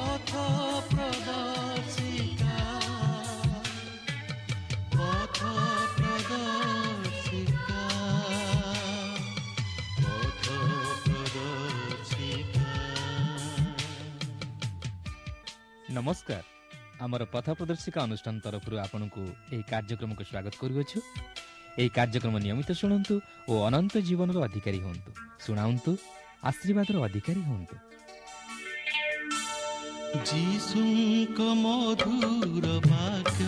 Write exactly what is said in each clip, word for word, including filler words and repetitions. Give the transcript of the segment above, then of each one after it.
ପଥ ପ୍ରଦର୍ଶିକା, ପଥ ପ୍ରଦର୍ଶିକା, ପଥ ପ୍ରଦର୍ଶିକା। ନମସ୍କାର। ଆମର ପଥ ପ୍ରଦର୍ଶିକା ଅନୁଷ୍ଠାନ ତରଫରୁ ଆପଣଙ୍କୁ ଏହି କାର୍ଯ୍ୟକ୍ରମକୁ ସ୍ୱାଗତ କରୁଅଛୁ। ଏହି କାର୍ଯ୍ୟକ୍ରମ ନିୟମିତ ଶୁଣନ୍ତୁ ଓ ଅନନ୍ତ ଜୀବନର ଅଧିକାରୀ ହୁଅନ୍ତୁ। ଶୁଣାନ୍ତୁ, ଆଶୀର୍ବାଦର ଅଧିକାରୀ ହୁଅନ୍ତୁ। ଯୀଶୁଙ୍କ ମଧୁର ବାକ୍ୟ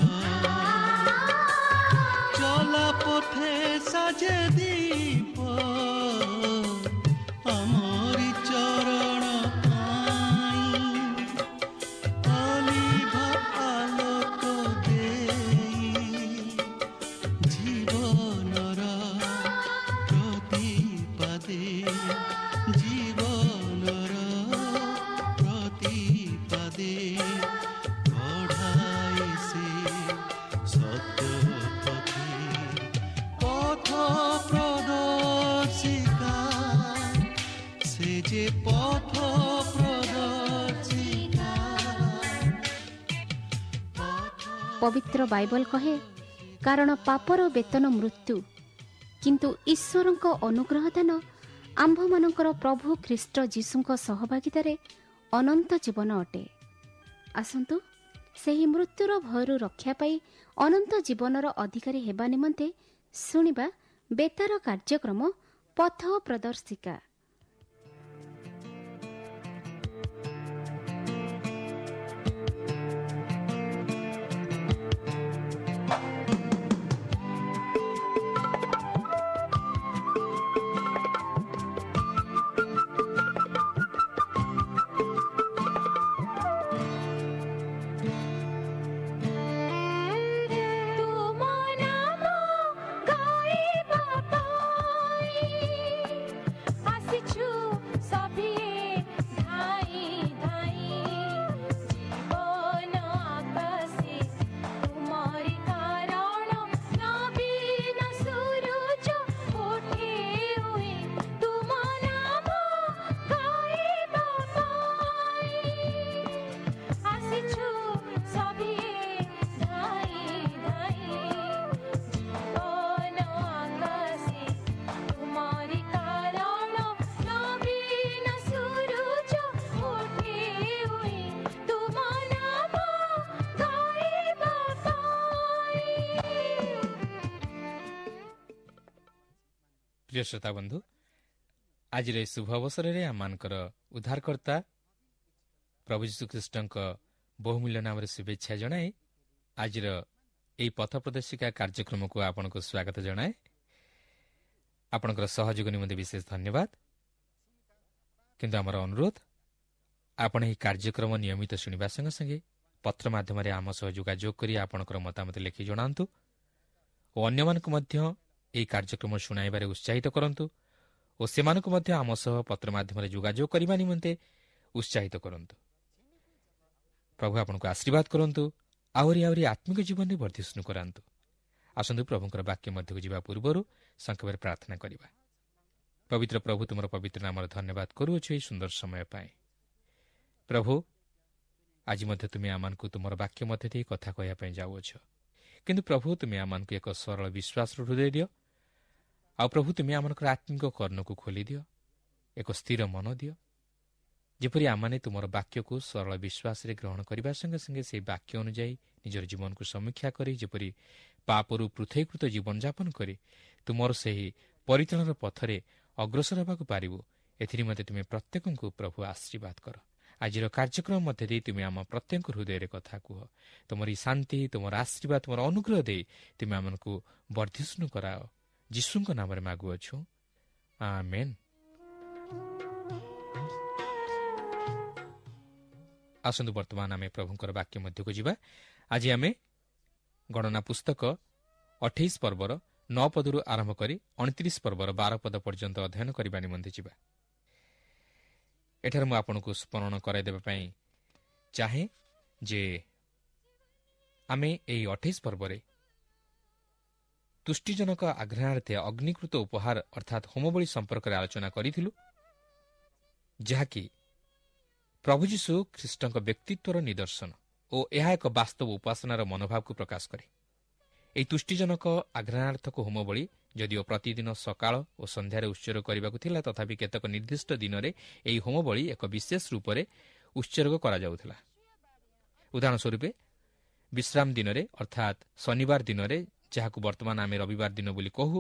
ଚଲା ପଥେ ସାଜେ ଦୀପ, ଆମରି ଚରଣ ପାଇଁ ଅଲିଭ ଆଲୋକ ଦେଇ, ଜୀବନର ପ୍ରତିପାଦେ, ଜୀବନର ପ୍ରତିପାଦେ କଢ଼ାଇ ସେ ସତ୍ୟ ପଥେ। ପଥ ପ୍ରଦର୍ଶିକା, ସେ ଯେ ପଥ ପ୍ରଦର୍ଶିକା, ପବିତ୍ର ବାଇବଲ କହେ, କାରଣ ପାପର ବେତନ ମୃତ୍ୟୁ, କିନ୍ତୁ ଈଶ୍ୱରଙ୍କ ଅନୁଗ୍ରହ ଦାନ ଆମ୍ଭମାନଙ୍କର ପ୍ରଭୁ ଖ୍ରୀଷ୍ଟ ଯୀଶୁଙ୍କ ସହଭାଗିତାରେ ଅନନ୍ତ ଜୀବନ ଅଟେ। ଆସନ୍ତୁ ସେହି ମୃତ୍ୟୁର ଭୟରୁ ରକ୍ଷା ପାଇ ଅନନ୍ତ ଜୀବନର ଅଧିକାରୀ ହେବା ନିମନ୍ତେ ଶୁଣିବା ବେତାର କାର୍ଯ୍ୟକ୍ରମ ପଥ ପ୍ରଦର୍ଶିକା। ତୁମ ନାମ ଗାଇବା ପାଇଁ ଆସିଛୁ ସଭିଏ ଧାଇଁ ଧାଇଁ, ଜୀବନ ଆକାଶେ ତୁମରି କାରଣ ନବୀନ ସୂରୁଜ ଉଠେ ଉଇଁ। ତୁମ ନାମ ଗାଇବା ପାଇଁ ଆସିଛୁ ସଭିଏ ଧାଇଁ ଧାଇଁ, ଜୀବନ ଆକାଶେ ତୁମରି କାରଣ ନବୀନ ସୂରୁଜ ଉଠେ ଉଇଁ। ତୁମ ନାମ ଗାଇବା ପାଇଁ। ପ୍ରିୟ ଶ୍ରୋତା ବନ୍ଧୁ, ଆଜିର ଏହି ଶୁଭ ଅବସରରେ ଆମମାନଙ୍କର ଉଦ୍ଧାରକର୍ତ୍ତା ପ୍ରଭୁ ଯୀଶୁଖ୍ରୀଷ୍ଟଙ୍କ ବହୁମୂଲ୍ୟ ନାମରେ ଶୁଭେଚ୍ଛା ଜଣାଇ ଆଜିର ଏହି ପଥ ପ୍ରଦର୍ଶିକା କାର୍ଯ୍ୟକ୍ରମକୁ ଆପଣଙ୍କୁ ସ୍ୱାଗତ ଜଣାଏ। ଆପଣଙ୍କର ସହଯୋଗ ନିମନ୍ତେ ବିଶେଷ ଧନ୍ୟବାଦ। କିନ୍ତୁ ଆମର ଅନୁରୋଧ, ଆପଣ ଏହି କାର୍ଯ୍ୟକ୍ରମ ନିୟମିତ ଶୁଣିବା ସଙ୍ଗେ ସଙ୍ଗେ ପତ୍ର ମାଧ୍ୟମରେ ଆମ ସହ ଯୋଗାଯୋଗ କରି ଆପଣଙ୍କର ମତାମତ ଲେଖି ଜଣାନ୍ତୁ ଓ ଅନ୍ୟମାନଙ୍କୁ ମଧ୍ୟ ଏହି କାର୍ଯ୍ୟକ୍ରମ ଶୁଣାଇବାରେ ଉତ୍ସାହିତ କରନ୍ତୁ ଓ ସେମାନଙ୍କୁ ମଧ୍ୟ ଆମ ସହ ପତ୍ର ମାଧ୍ୟମରେ ଯୋଗାଯୋଗ କରିବା ନିମନ୍ତେ ଉତ୍ସାହିତ କରନ୍ତୁ। ପ୍ରଭୁ ଆପଣଙ୍କୁ ଆଶୀର୍ବାଦ କରନ୍ତୁ, ଆହୁରି ଆହୁରି ଆତ୍ମିକ ଜୀବନରେ ବର୍ଦ୍ଧିଷ୍ଣୁ କରାନ୍ତୁ। ଆସନ୍ତୁ ପ୍ରଭୁଙ୍କର ବାକ୍ୟ ମଧ୍ୟକୁ ଯିବା ପୂର୍ବରୁ ସଂକ୍ଷେପରେ ପ୍ରାର୍ଥନା କରିବା। ପବିତ୍ର ପ୍ରଭୁ, ତୁମର ପବିତ୍ର ନାମର ଧନ୍ୟବାଦ କରୁଅଛୁ ଏହି ସୁନ୍ଦର ସମୟ ପାଇଁ। ପ୍ରଭୁ, ଆଜି ମଧ୍ୟ ତୁମେ ଆମମାନଙ୍କୁ ତୁମର ବାକ୍ୟ ମଧ୍ୟ ଦେଇ କଥା କହିବା ପାଇଁ ଯାଉଅଛ। କିନ୍ତୁ ପ୍ରଭୁ, ତୁମେ ଆମମାନଙ୍କୁ ଏକ ସରଳ ବିଶ୍ୱାସର ହୃଦୟ ଦିଅ। ଆଉ ପ୍ରଭୁ, ତୁମେ ଆମମାନଙ୍କର ଆତ୍ମିକ କର୍ଣ୍ଣକୁ ଖୋଲିଦିଅ, ଏକ ସ୍ଥିର ମନ ଦିଅ, ଯେପରି ଆମମାନେ ତୁମର ବାକ୍ୟକୁ ସରଳ ବିଶ୍ୱାସରେ ଗ୍ରହଣ କରିବା ସଙ୍ଗେ ସଙ୍ଗେ ସେହି ବାକ୍ୟ ଅନୁଯାୟୀ ନିଜର ଜୀବନକୁ ସମୀକ୍ଷା କରି ଯେପରି ପାପରୁ ପୃଥକୀକୃତ ଜୀବନଯାପନ କରି ତୁମର ସେହି ପରିତ୍ରାଣର ପଥରେ ଅଗ୍ରସର ହେବାକୁ ପାରିବୁ। ଏଥିନିମନ୍ତେ ତୁମେ ପ୍ରତ୍ୟେକଙ୍କୁ ପ୍ରଭୁ ଆଶୀର୍ବାଦ କର। ଆଜିର କାର୍ଯ୍ୟକ୍ରମ ମଧ୍ୟ ଦେଇ ତୁମେ ଆମ ପ୍ରତ୍ୟେକଙ୍କ ହୃଦୟରେ କଥା କୁହ। ତୁମର ଏହି ଶାନ୍ତି, ତୁମର ଆଶୀର୍ବାଦ, ତୁମର ଅନୁଗ୍ରହ ଦେଇ ତୁମେ ଆମମାନଙ୍କୁ ବର୍ଦ୍ଧିଷ୍ଣୁ କରାଅ। ଯୀଶୁଙ୍କ ନାମରେ ମାଗୁଅଛୁ, ଆମେନ୍। ଆସନ୍ତୁ ବର୍ତ୍ତମାନ ଆମେ ପ୍ରଭୁଙ୍କର ବାକ୍ୟ ମଧ୍ୟକୁ ଯିବା। ଆଜି ଆମେ ଗଣନା ପୁସ୍ତକ ଅଠେଇଶ ପର୍ବର ନଅ ପଦରୁ ଆରମ୍ଭ କରି ଅଣତିରିଶ ପର୍ବର ବାର ପଦ ପର୍ଯ୍ୟନ୍ତ ଅଧ୍ୟୟନ କରିବା ନିମନ୍ତେ ଯିବା। ଏଠାରେ ମୁଁ ଆପଣଙ୍କୁ ସ୍ମରଣ କରାଇଦେବା ପାଇଁ ଚାହେଁ ଯେ ଆମେ ଏହି ଅଠେଇଶ ପର୍ବରେ ତୁଷ୍ଟିଜନକ ଆଘ୍ରାଣାର୍ଥେ ଅଗ୍ନିକୃତ ଉପହାର ଅର୍ଥାତ୍ ହୋମବଳି ସମ୍ପର୍କରେ ଆଲୋଚନା କରିଥିଲୁ, ଯାହାକି ପ୍ରଭୁ ଯୀଶୁ ଖ୍ରୀଷ୍ଟଙ୍କ ବ୍ୟକ୍ତିତ୍ୱର ନିଦର୍ଶନ ଓ ଏହା ଏକ ବାସ୍ତବ ଉପାସନାର ମନୋଭାବକୁ ପ୍ରକାଶ କରେ। ଏହି ତୁଷ୍ଟିଜନକ ଆଘ୍ରାଣାର୍ଥକ ହୋମବଳି ଯଦିଓ ପ୍ରତିଦିନ ସକାଳ ଓ ସନ୍ଧ୍ୟାରେ ଉତ୍ସର୍ଗ କରିବାକୁ ଥିଲା, ତଥାପି କେତେକ ନିର୍ଦ୍ଦିଷ୍ଟ ଦିନରେ ଏହି ହୋମବଳି ଏକ ବିଶେଷ ରୂପରେ ଉତ୍ସର୍ଗ କରାଯାଉଥିଲା। ଉଦାହରଣ ସ୍ୱରୂପ ବିଶ୍ରାମ ଦିନରେ, ଅର୍ଥାତ୍ ଶନିବାର ଦିନରେ, ଯାହାକୁ ବର୍ତ୍ତମାନ ଆମେ ରବିବାର ଦିନ ବୋଲି କହୁ,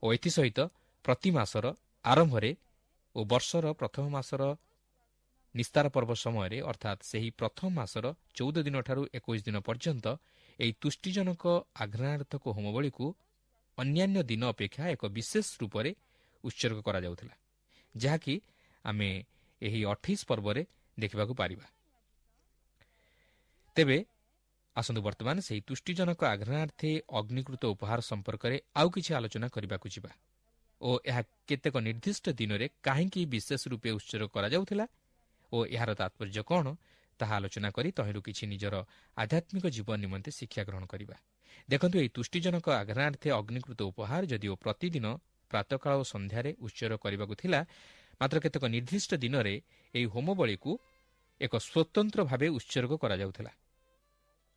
ଓ ଏଥିସହିତ ପ୍ରତି ମାସର ଆରମ୍ଭରେ ଓ ବର୍ଷର ପ୍ରଥମ ମାସର ନିସ୍ତାର ପର୍ବ ସମୟରେ, ଅର୍ଥାତ୍ ସେହି ପ୍ରଥମ ମାସର ଚଉଦ ଦିନଠାରୁ ଏକୋଇଶ ଦିନ ପର୍ଯ୍ୟନ୍ତ ଏହି ତୁଷ୍ଟିଜନକ ଆଘ୍ରାଣାର୍ଥକ ହୋମବଳିକୁ ଅନ୍ୟାନ୍ୟ ଦିନ ଅପେକ୍ଷା ଏକ ବିଶେଷ ରୂପରେ ଉତ୍ସର୍ଗ କରାଯାଉଥିଲା, ଯାହାକି ଆମେ ଏହି ଅଠେଇଶ ପର୍ବରେ ଦେଖିବାକୁ ପାରିବା। ତେବେ ଆସନ୍ତୁ ବର୍ତ୍ତମାନ ସେହି ତୁଷ୍ଟିଜନକ ଆଘ୍ରାଣାର୍ଥେ ଅଗ୍ନିକୃତ ଉପହାର ସମ୍ପର୍କରେ ଆଉ କିଛି ଆଲୋଚନା କରିବାକୁ ଯିବା ଓ ଏହା କେତେକ ନିର୍ଦ୍ଦିଷ୍ଟ ଦିନରେ କାହିଁକି ବିଶେଷ ରୂପେ ଉତ୍ସର୍ଗ କରାଯାଉଥିଲା ଓ ଏହାର ତାତ୍ପର୍ଯ୍ୟ କ'ଣ ତାହା ଆଲୋଚନା କରି ତହିଁରୁ କିଛି ନିଜର ଆଧ୍ୟାତ୍ମିକ ଜୀବନ ନିମନ୍ତେ ଶିକ୍ଷା ଗ୍ରହଣ କରିବା। ଦେଖନ୍ତୁ, ଏହି ତୁଷ୍ଟିଜନକ ଆଘ୍ରାଣାର୍ଥେ ଅଗ୍ନିକୃତ ଉପହାର ଯଦିଓ ପ୍ରତିଦିନ ପ୍ରାତଃକାଳ ଓ ସନ୍ଧ୍ୟାରେ ଉତ୍ସର୍ଗ କରିବାକୁ ଥିଲା, ମାତ୍ର କେତେକ ନିର୍ଦ୍ଦିଷ୍ଟ ଦିନରେ ଏହି ହୋମବଳିକୁ ଏକ ସ୍ୱତନ୍ତ୍ର ଭାବେ ଉତ୍ସର୍ଗ କରାଯାଉଥିଲା।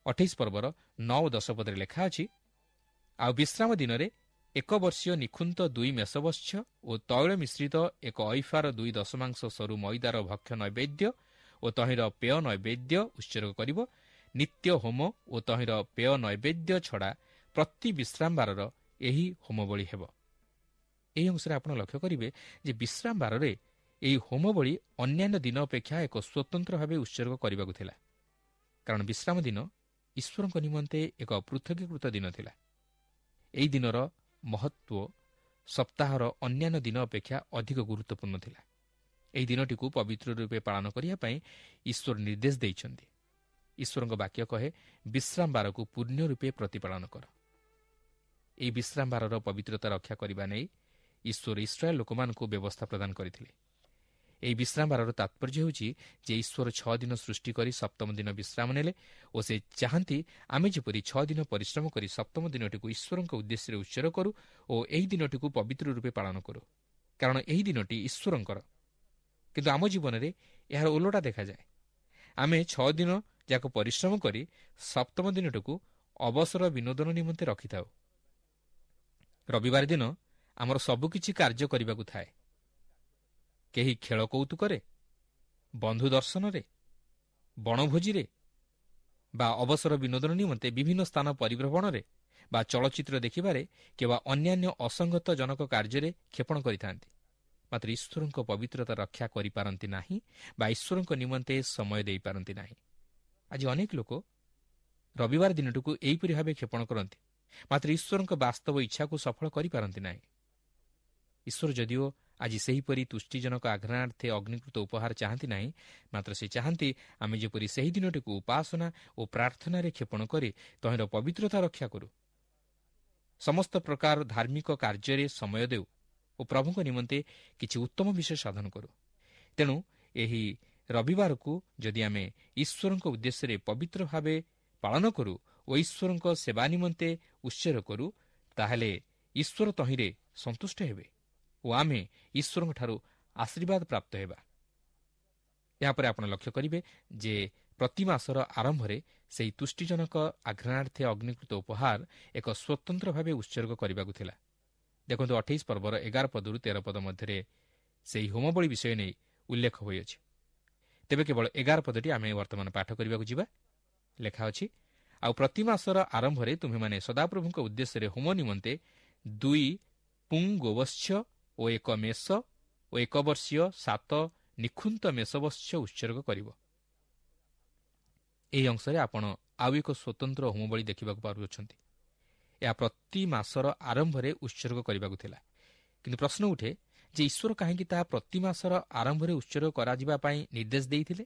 ଅଠେଇଶ ପର୍ବର ନଅ ଓ ଦଶ ପଦରେ ଲେଖା ଅଛି, ଆଉ ବିଶ୍ରାମ ଦିନରେ ଏକ ବର୍ଷୀୟ ନିଖୁନ୍ତ ଦୁଇ ମେଷବତ୍ସ ଓ ତୈଳ ମିଶ୍ରିତ ଏକ ଐଫାର ଦୁଇ ଦଶମାଂଶ ସରୁ ମଇଦାର ଭକ୍ଷ୍ୟ ନୈବେଦ୍ୟ ଓ ତହିଁର ପେୟ ନୈବେଦ୍ୟ ଉତ୍ସର୍ଗ କରିବ। ନିତ୍ୟ ହୋମ ଓ ତହିଁର ପେୟ ନୈବେଦ୍ୟ ଛଡ଼ା ପ୍ରତି ବିଶ୍ରାମବାରର ଏହି ହୋମବଳି ହେବ। ଏହି ଅଂଶରେ ଆପଣ ଲକ୍ଷ୍ୟ କରିବେ ଯେ ବିଶ୍ରାମବାରରେ ଏହି ହୋମବଳି ଅନ୍ୟାନ୍ୟ ଦିନ ଅପେକ୍ଷା ଏକ ସ୍ୱତନ୍ତ୍ର ଭାବେ ଉତ୍ସର୍ଗ କରିବାକୁ ଥିଲା, କାରଣ ବିଶ୍ରାମ ଦିନ ଈଶ୍ୱରଙ୍କ ନିମନ୍ତେ ଏକ ପୃଥକୀକୃତ ଦିନ ଥିଲା। ଏହି ଦିନର ମହତ୍ତ୍ୱ ସପ୍ତାହର ଅନ୍ୟାନ୍ୟ ଦିନ ଅପେକ୍ଷା ଅଧିକ ଗୁରୁତ୍ୱପୂର୍ଣ୍ଣ ଥିଲା। ଏହି ଦିନଟିକୁ ପବିତ୍ର ରୂପେ ପାଳନ କରିବା ପାଇଁ ଈଶ୍ୱର ନିର୍ଦ୍ଦେଶ ଦେଇଛନ୍ତି। ଈଶ୍ୱରଙ୍କ ବାକ୍ୟ କହେ, ବିଶ୍ରାମବାରକୁ ପୂର୍ଣ୍ଣ ରୂପେ ପ୍ରତିପାଳନ କର। ଏହି ବିଶ୍ରାମବାରର ପବିତ୍ରତା ରକ୍ଷା କରିବା ନେଇ ଈଶ୍ୱର ଇସ୍ରାଏଲ ଲୋକମାନଙ୍କୁ ବ୍ୟବସ୍ଥା ପ୍ରଦାନ କରିଥିଲେ। ଏହି ବିଶ୍ରାମବାରର ତାତ୍ପର୍ଯ୍ୟ ହେଉଛି ଯେ ଈଶ୍ୱର ଛଅ ଦିନ ସୃଷ୍ଟି କରି ସପ୍ତମ ଦିନ ବିଶ୍ରାମ ନେଲେ ଓ ସେ ଚାହାନ୍ତି ଆମେ ଯେପରି ଛଅ ଦିନ ପରିଶ୍ରମ କରି ସପ୍ତମ ଦିନଟିକୁ ଈଶ୍ୱରଙ୍କ ଉଦ୍ଦେଶ୍ୟରେ ଉତ୍ସର୍ଗ କରୁ ଓ ଏହି ଦିନଟିକୁ ପବିତ୍ର ରୂପେ ପାଳନ କରୁ, କାରଣ ଏହି ଦିନଟି ଈଶ୍ୱରଙ୍କର। କିନ୍ତୁ ଆମ ଜୀବନରେ ଏହାର ଓଲଟା ଦେଖାଯାଏ। ଆମେ ଛଅ ଦିନ ଯାକ ପରିଶ୍ରମ କରି ସପ୍ତମ ଦିନଟିକୁ ଅବସର ବିନୋଦନ ନିମନ୍ତେ ରଖିଥାଉ। ରବିବାର ଦିନ ଆମର ସବୁକିଛି କାର୍ଯ୍ୟ କରିବାକୁ ଥାଏ। କେହି ଖେଳ କୌତୁକରେ, ବନ୍ଧୁ ଦର୍ଶନରେ, ବଣଭୋଜିରେ ବା ଅବସର ବିନୋଦନ ନିମନ୍ତେ ବିଭିନ୍ନ ସ୍ଥାନ ପରିଭ୍ରମଣରେ ବା ଚଳଚ୍ଚିତ୍ର ଦେଖିବାରେ କିମ୍ବା ଅନ୍ୟାନ୍ୟ ଅସଙ୍ଗତ ଜନକ କାର୍ଯ୍ୟରେ କ୍ଷେପଣ କରିଥାନ୍ତି, ମାତ୍ର ଈଶ୍ୱରଙ୍କ ପବିତ୍ରତା ରକ୍ଷା କରିପାରନ୍ତି ନାହିଁ ବା ଈଶ୍ୱରଙ୍କ ନିମନ୍ତେ ସମୟ ଦେଇପାରନ୍ତି ନାହିଁ। ଆଜି ଅନେକ ଲୋକ ରବିବାର ଦିନଟିକୁ ଏହିପରି ଭାବେ କ୍ଷେପଣ କରନ୍ତି, ମାତ୍ର ଈଶ୍ୱରଙ୍କ ବାସ୍ତବ ଇଚ୍ଛାକୁ ସଫଳ କରିପାରନ୍ତି ନାହିଁ। ଈଶ୍ୱର ଯଦିଓ ଆଜି ସେହିପରି ତୁଷ୍ଟିଜନକ ଆଘ୍ରାଣାର୍ଥେ ଅଗ୍ନିକୃତ ଉପହାର ଚାହାନ୍ତି ନାହିଁ, ମାତ୍ର ସେ ଚାହାନ୍ତି ଆମେ ଯେପରି ସେହି ଦିନଟିକୁ ଉପାସନା ଓ ପ୍ରାର୍ଥନାରେ କ୍ଷେପଣ କରି ତହିଁର ପବିତ୍ରତା ରକ୍ଷା କରୁ, ସମସ୍ତ ପ୍ରକାର ଧାର୍ମିକ କାର୍ଯ୍ୟରେ ସମୟ ଦେଉ ଓ ପ୍ରଭୁଙ୍କ ନିମନ୍ତେ କିଛି ଉତ୍ତମ ବିଷୟ ସାଧନ କରୁ। ତେଣୁ ଏହି ରବିବାରକୁ ଯଦି ଆମେ ଈଶ୍ୱରଙ୍କ ଉଦ୍ଦେଶ୍ୟରେ ପବିତ୍ର ଭାବେ ପାଳନ କରୁ ଓ ଈଶ୍ୱରଙ୍କ ସେବା ନିମନ୍ତେ ଉତ୍ସର୍ଗ କରୁ, ତାହେଲେ ଈଶ୍ୱର ତହିଁରେ ସନ୍ତୁଷ୍ଟ ହେବେ ଓ ଆମେ ଈଶ୍ୱରଙ୍କଠାରୁ ଆଶୀର୍ବାଦ ପ୍ରାପ୍ତ ହେବା। ଏହାପରେ ଆପଣ ଲକ୍ଷ୍ୟ କରିବେ ଯେ ପ୍ରତି ମାସର ଆରମ୍ଭରେ ସେହି ତୁଷ୍ଟିଜନକ ଆଘ୍ରାଣାର୍ଥେ ଅଗ୍ନିକୃତ ଉପହାର ଏକ ସ୍ୱତନ୍ତ୍ର ଭାବେ ଉତ୍ସର୍ଗ କରିବାକୁ ଥିଲା। ଦେଖନ୍ତୁ, ଅଠେଇଶ ପର୍ବର ଏଗାର ପଦରୁ ତେର ପଦ ମଧ୍ୟରେ ସେହି ହୋମବଳି ବିଷୟ ନେଇ ଉଲ୍ଲେଖ ହୋଇଅଛି। ତେବେ କେବଳ ଏଗାର ପଦଟି ଆମେ ବର୍ତ୍ତମାନ ପାଠ କରିବାକୁ ଯିବା। ଲେଖା ଅଛି, ଆଉ ପ୍ରତି ମାସର ଆରମ୍ଭରେ ତୁମ୍ଭେମାନେ ସଦାପ୍ରଭୁଙ୍କ ଉଦ୍ଦେଶ୍ୟରେ ହୋମ ନିମନ୍ତେ ଦୁଇ ପୁଂ ଗୋବତ୍ସ ଓ ଏକ ମେଷ ଓ ଏକ ବର୍ଷୀୟ ସାତ ନିଖୁନ୍ତ ମେଷବତ୍ସ ଉତ୍ସର୍ଗ କରିବ। ଏହି ଅଂଶରେ ଆପଣ ଆଉ ଏକ ସ୍ୱତନ୍ତ୍ର ହୋମବଳି ଦେଖିବାକୁ ପାରୁଅଛନ୍ତି। ଏହା ପ୍ରତି ମାସର ଆରମ୍ଭରେ ଉତ୍ସର୍ଗ କରିବାକୁ ଥିଲା। କିନ୍ତୁ ପ୍ରଶ୍ନ ଉଠେ ଯେ ଈଶ୍ୱର କାହିଁକି ତାହା ପ୍ରତି ମାସର ଆରମ୍ଭରେ ଉତ୍ସର୍ଗ କରାଯିବା ପାଇଁ ନିର୍ଦ୍ଦେଶ ଦେଇଥିଲେ?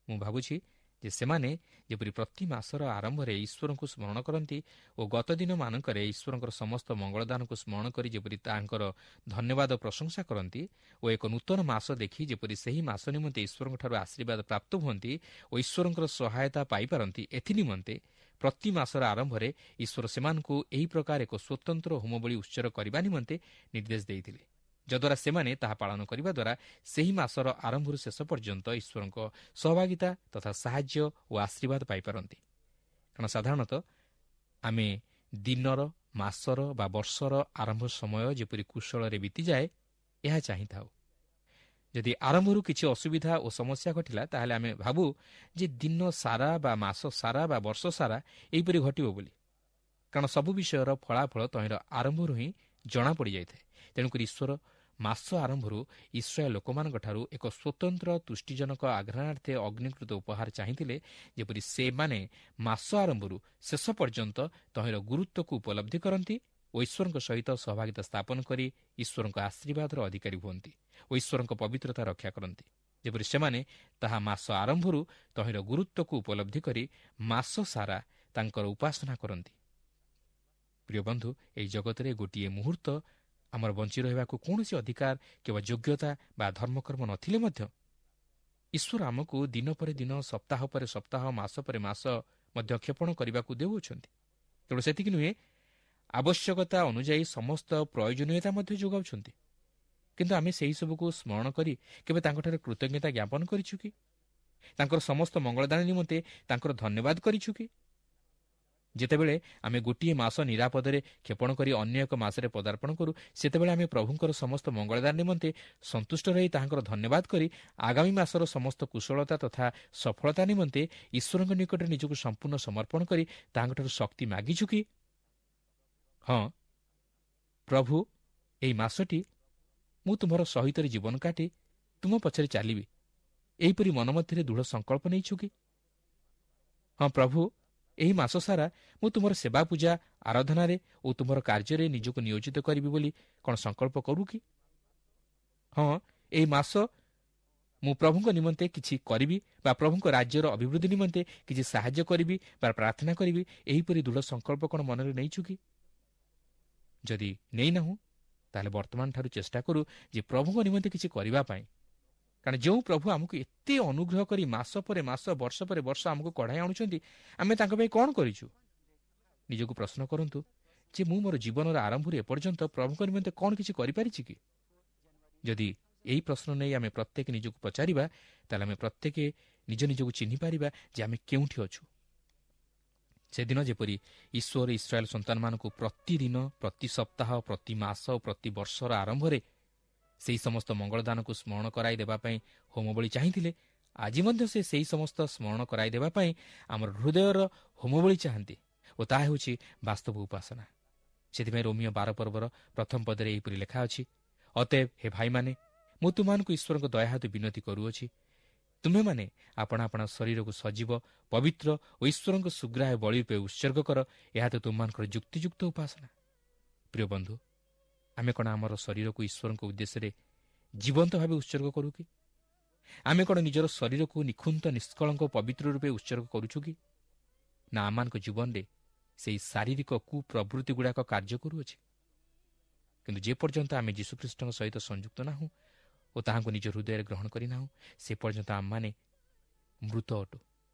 ମୁଁ ଭାବୁଛି ଯେ ସେମାନେ ଯେପରି ପ୍ରତି ମାସର ଆରମ୍ଭରେ ଈଶ୍ୱରଙ୍କୁ ସ୍ମରଣ କରନ୍ତି ଓ ଗତ ଦିନମାନଙ୍କରେ ଈଶ୍ୱରଙ୍କର ସମସ୍ତ ମଙ୍ଗଳଦାନକୁ ସ୍ମରଣ କରି ଯେପରି ତାଙ୍କର ଧନ୍ୟବାଦ ପ୍ରଶଂସା କରନ୍ତି ଓ ଏକ ନୂତନ ମାସ ଦେଖି ଯେପରି ସେହି ମାସ ନିମନ୍ତେ ଈଶ୍ୱରଙ୍କଠାରୁ ଆଶୀର୍ବାଦ ପ୍ରାପ୍ତ ହୁଅନ୍ତି ଓ ଈଶ୍ୱରଙ୍କର ସହାୟତା ପାଇପାରନ୍ତି, ଏଥିନିମନ୍ତେ ପ୍ରତି ମାସର ଆରମ୍ଭରେ ଈଶ୍ୱର ସେମାନଙ୍କୁ ଏହି ପ୍ରକାର ଏକ ସ୍ୱତନ୍ତ୍ର ହୋମବଳି ଉତ୍ସର୍ଗ କରିବା ନିମନ୍ତେ ନିର୍ଦ୍ଦେଶ ଦେଇଥିଲେ। ଯଦ୍ୱାରା ସେମାନେ ତାହା ପାଳନ କରିବା ଦ୍ୱାରା ସେହି ମାସର ଆରମ୍ଭରୁ ଶେଷ ପର୍ଯ୍ୟନ୍ତ ଈଶ୍ୱରଙ୍କ ସହଭାଗିତା ତଥା ସାହାଯ୍ୟ ଓ ଆଶୀର୍ବାଦ ପାଇପାରନ୍ତି। କାରଣ ସାଧାରଣତଃ ଆମେ ଦିନର, ମାସର ବା ବର୍ଷର ଆରମ୍ଭ ସମୟ ଯେପରି କୁଶଳରେ ବିତିଯାଏ ଏହା ଚାହିଁଥାଉ। ଯଦି ଆରମ୍ଭରୁ କିଛି ଅସୁବିଧା ଓ ସମସ୍ୟା ଘଟିଲା, ତାହେଲେ ଆମେ ଭାବୁ ଯେ ଦିନ ସାରା ବା ମାସ ସାରା ବା ବର୍ଷ ସାରା ଏହିପରି ଘଟିବ ବୋଲି। କାରଣ ସବୁ ବିଷୟର ଫଳାଫଳ ତହିଁର ଆରମ୍ଭରୁ ହିଁ ଜଣାପଡ଼ିଯାଇଥାଏ। ତେଣୁକରି ଈଶ୍ୱର ମାସ ଆରମ୍ଭରୁ ଇସ୍ରାଏଲ ଲୋକମାନଙ୍କଠାରୁ ଏକ ସ୍ୱତନ୍ତ୍ର ତୁଷ୍ଟିଜନକ ଆଘ୍ରାଣାର୍ଥେ ଅଗ୍ନିକୃତ ଉପହାର ଚାହିଁଥିଲେ, ଯେପରି ସେମାନେ ମାସ ଆରମ୍ଭରୁ ଶେଷ ପର୍ଯ୍ୟନ୍ତ ତହିଁର ଗୁରୁତ୍ୱକୁ ଉପଲବ୍ଧି କରନ୍ତି ଓ ଈଶ୍ୱରଙ୍କ ସହିତ ସହଭାଗିତା ସ୍ଥାପନ କରି ଈଶ୍ୱରଙ୍କ ଆଶୀର୍ବାଦର ଅଧିକାରୀ ହୁଅନ୍ତି ଓ ଈଶ୍ୱରଙ୍କ ପବିତ୍ରତା ରକ୍ଷା କରନ୍ତି। ଯେପରି ସେମାନେ ତାହା ମାସ ଆରମ୍ଭରୁ ତହିଁର ଗୁରୁତ୍ୱକୁ ଉପଲବ୍ଧି କରି ମାସ ସାରା ତାଙ୍କର ଉପାସନା କରନ୍ତି। ପ୍ରିୟ ବନ୍ଧୁ, ଏହି ଜଗତରେ ଗୋଟିଏ ମୁହୂର୍ତ୍ତ ଆମର ବଞ୍ଚି ରହିବାକୁ କୌଣସି ଅଧିକାର କିମ୍ବା ଯୋଗ୍ୟତା ବା ଧର୍ମକର୍ମ ନଥିଲେ ମଧ୍ୟ ଈଶ୍ୱର ଆମକୁ ଦିନ ପରେ ଦିନ, ସପ୍ତାହ ପରେ ସପ୍ତାହ, ମାସ ପରେ ମାସ ମଧ୍ୟ କ୍ଷେପଣ କରିବାକୁ ଦେଉଅଛନ୍ତି। ତେଣୁ ସେତିକି ନୁହେଁ, ଆବଶ୍ୟକତା ଅନୁଯାୟୀ ସମସ୍ତ ପ୍ରୟୋଜନୀୟତା ମଧ୍ୟ ଯୋଗାଉଛନ୍ତି। କିନ୍ତୁ ଆମେ ସେହିସବୁକୁ ସ୍ମରଣ କରି କେବେ ତାଙ୍କଠାରେ କୃତଜ୍ଞତା ଜ୍ଞାପନ କରିଛୁ କି? ତାଙ୍କର ସମସ୍ତ ମଙ୍ଗଳଦାନ ନିମନ୍ତେ ତାଙ୍କର ଧନ୍ୟବାଦ କରିଛୁ କି? ଯେତେବେଳେ ଆମେ ଗୋଟିଏ ମାସ ନିରାପଦରେ କ୍ଷେପଣ କରି ଅନ୍ୟ ଏକ ମାସରେ ପଦାର୍ପଣ କରୁ, ସେତେବେଳେ ଆମେ ପ୍ରଭୁଙ୍କର ସମସ୍ତ ମଙ୍ଗଳଦାନ ନିମନ୍ତେ ସନ୍ତୁଷ୍ଟ ରହି ତାହାଙ୍କର ଧନ୍ୟବାଦ କରି ଆଗାମୀ ମାସର ସମସ୍ତ କୁଶଳତା ତଥା ସଫଳତା ନିମନ୍ତେ ଈଶ୍ୱରଙ୍କ ନିକଟରେ ନିଜକୁ ସମ୍ପୂର୍ଣ୍ଣ ସମର୍ପଣ କରି ତାହାଙ୍କଠାରୁ ଶକ୍ତି ମାଗିଛୁ କି? ହଁ ପ୍ରଭୁ, ଏହି ମାସଟି ମୁଁ ତୁମର ସହିତରେ ଜୀବନ କାଟି ତୁମ ପଛରେ ଚାଲିବି, ଏହିପରି ମନ ମଧ୍ୟରେ ଦୃଢ଼ ସଂକଳ୍ପ ନେଇଛୁ କି? ହଁ ପ୍ରଭୁ, ଏହି ମାସ ସାରା ମୁଁ ତୁମର ସେବା ପୂଜା ଆରାଧନାରେ ଓ ତୁମର କାର୍ଯ୍ୟରେ ନିଜକୁ ନିୟୋଜିତ କରିବି ବୋଲି କ'ଣ ସଂକଳ୍ପ କରୁ କି? ହଁ, ଏହି ମାସ ମୁଁ ପ୍ରଭୁଙ୍କ ନିମନ୍ତେ କିଛି କରିବି ବା ପ୍ରଭୁଙ୍କ ରାଜ୍ୟର ଅଭିବୃଦ୍ଧି ନିମନ୍ତେ କିଛି ସାହାଯ୍ୟ କରିବି ବା ପ୍ରାର୍ଥନା କରିବି, ଏହିପରି ଦୃଢ଼ ସଂକଳ୍ପ କ'ଣ ମନରେ ନେଇଛୁ କି? ଯଦି ନେଇନାହୁଁ, ତାହେଲେ ବର୍ତ୍ତମାନଠାରୁ ଚେଷ୍ଟା କରୁ ଯେ ପ୍ରଭୁଙ୍କ ନିମନ୍ତେ କିଛି କରିବା ପାଇଁ। କାରଣ ଯେଉଁ ପ୍ରଭୁ ଆମକୁ ଏତେ ଅନୁଗ୍ରହ କରି ମାସ ପରେ ମାସ, ବର୍ଷ ପରେ ବର୍ଷ ଆମକୁ କଢ଼ାଇ ଆଣୁଛନ୍ତି, ଆମେ ତାଙ୍କ ପାଇଁ କ'ଣ କରିଛୁ? ନିଜକୁ ପ୍ରଶ୍ନ କରନ୍ତୁ ଯେ ମୁଁ ମୋର ଜୀବନର ଆରମ୍ଭରୁ ଏପର୍ଯ୍ୟନ୍ତ ପ୍ରଭୁଙ୍କ ନିମନ୍ତେ କ'ଣ କିଛି କରିପାରିଛି କି? ଯଦି ଏହି ପ୍ରଶ୍ନ ନେଇ ଆମେ ପ୍ରତ୍ୟେକ ନିଜକୁ ପଚାରିବା, ତାହେଲେ ଆମେ ପ୍ରତ୍ୟେକ ନିଜ ନିଜକୁ ଚିହ୍ନିପାରିବା ଯେ ଆମେ କେଉଁଠି ଅଛୁ। ସେଦିନ ଯେପରି ଈଶ୍ୱର ଇସ୍ରାଏଲ ସନ୍ତାନମାନଙ୍କୁ ପ୍ରତିଦିନ, ପ୍ରତି ସପ୍ତାହ, ପ୍ରତି ମାସ, ପ୍ରତି ବର୍ଷର ଆରମ୍ଭରେ ସେହି ସମସ୍ତ ମଙ୍ଗଳଦାନକୁ ସ୍ମରଣ କରାଇ ଦେବା ପାଇଁ ହୋମବଳି ଚାହିଁଥିଲେ, ଆଜି ମଧ୍ୟ ସେ ସେହି ସମସ୍ତ ସ୍ମରଣ କରାଇ ଦେବା ପାଇଁ ଆମର ହୃଦୟର ହୋମବଳି ଚାହାନ୍ତି ଓ ତାହା ହେଉଛି ବାସ୍ତବ ଉପାସନା। ସେଥିପାଇଁ ରୋମୀୟ ବାର ପର୍ବର ପ୍ରଥମ ପଦରେ ଏହିପରି ଲେଖା ଅଛି, ଅତଏବ ହେ ଭାଇମାନେ, ମୁଁ ତୁମମାନଙ୍କୁ ଈଶ୍ୱରଙ୍କ ଦୟା ହେତୁ ବିନତି କରୁଅଛି, ତୁମେମାନେ ଆପଣା ଆପଣା ଶରୀରକୁ ସଜୀବ, ପବିତ୍ର ଓ ଈଶ୍ୱରଙ୍କ ସୁଗ୍ରାହ୍ୟ ବଳି ରୂପେ ଉତ୍ସର୍ଗ କର, ଏହା ତ ତୁମମାନଙ୍କର ଯୁକ୍ତିଯୁକ୍ତ ଉପାସନା। ପ୍ରିୟ ବନ୍ଧୁ, ଆମେ କ'ଣ ଆମର ଶରୀରକୁ ଈଶ୍ୱରଙ୍କ ଉଦ୍ଦେଶ୍ୟରେ ଜୀବନ୍ତ ଭାବେ ଉତ୍ସର୍ଗ କରୁ କି? ଆମେ କ'ଣ ନିଜର ଶରୀରକୁ ନିଖୁନ୍ତ, ନିଷ୍କଳଙ୍କ, ପବିତ୍ର ରୂପେ ଉତ୍ସର୍ଗ କରୁଛୁ କି? ନା ଆମମାନଙ୍କ ଜୀବନରେ ସେହି ଶାରୀରିକ କୁପ୍ରବୃତ୍ତି ଗୁଡ଼ାକ କାର୍ଯ୍ୟ କରୁଅଛି? କିନ୍ତୁ ଯେପର୍ଯ୍ୟନ୍ତ ଆମେ ଯୀଶୁଖ୍ରୀଷ୍ଟଙ୍କ ସହିତ ସଂଯୁକ୍ତ ନାହୁଁ ଓ ତାହାଙ୍କୁ ନିଜ ହୃଦୟରେ ଗ୍ରହଣ କରିନାହୁଁ, ସେ ପର୍ଯ୍ୟନ୍ତ ଆମମାନେ ମୃତ ଅଟୁ।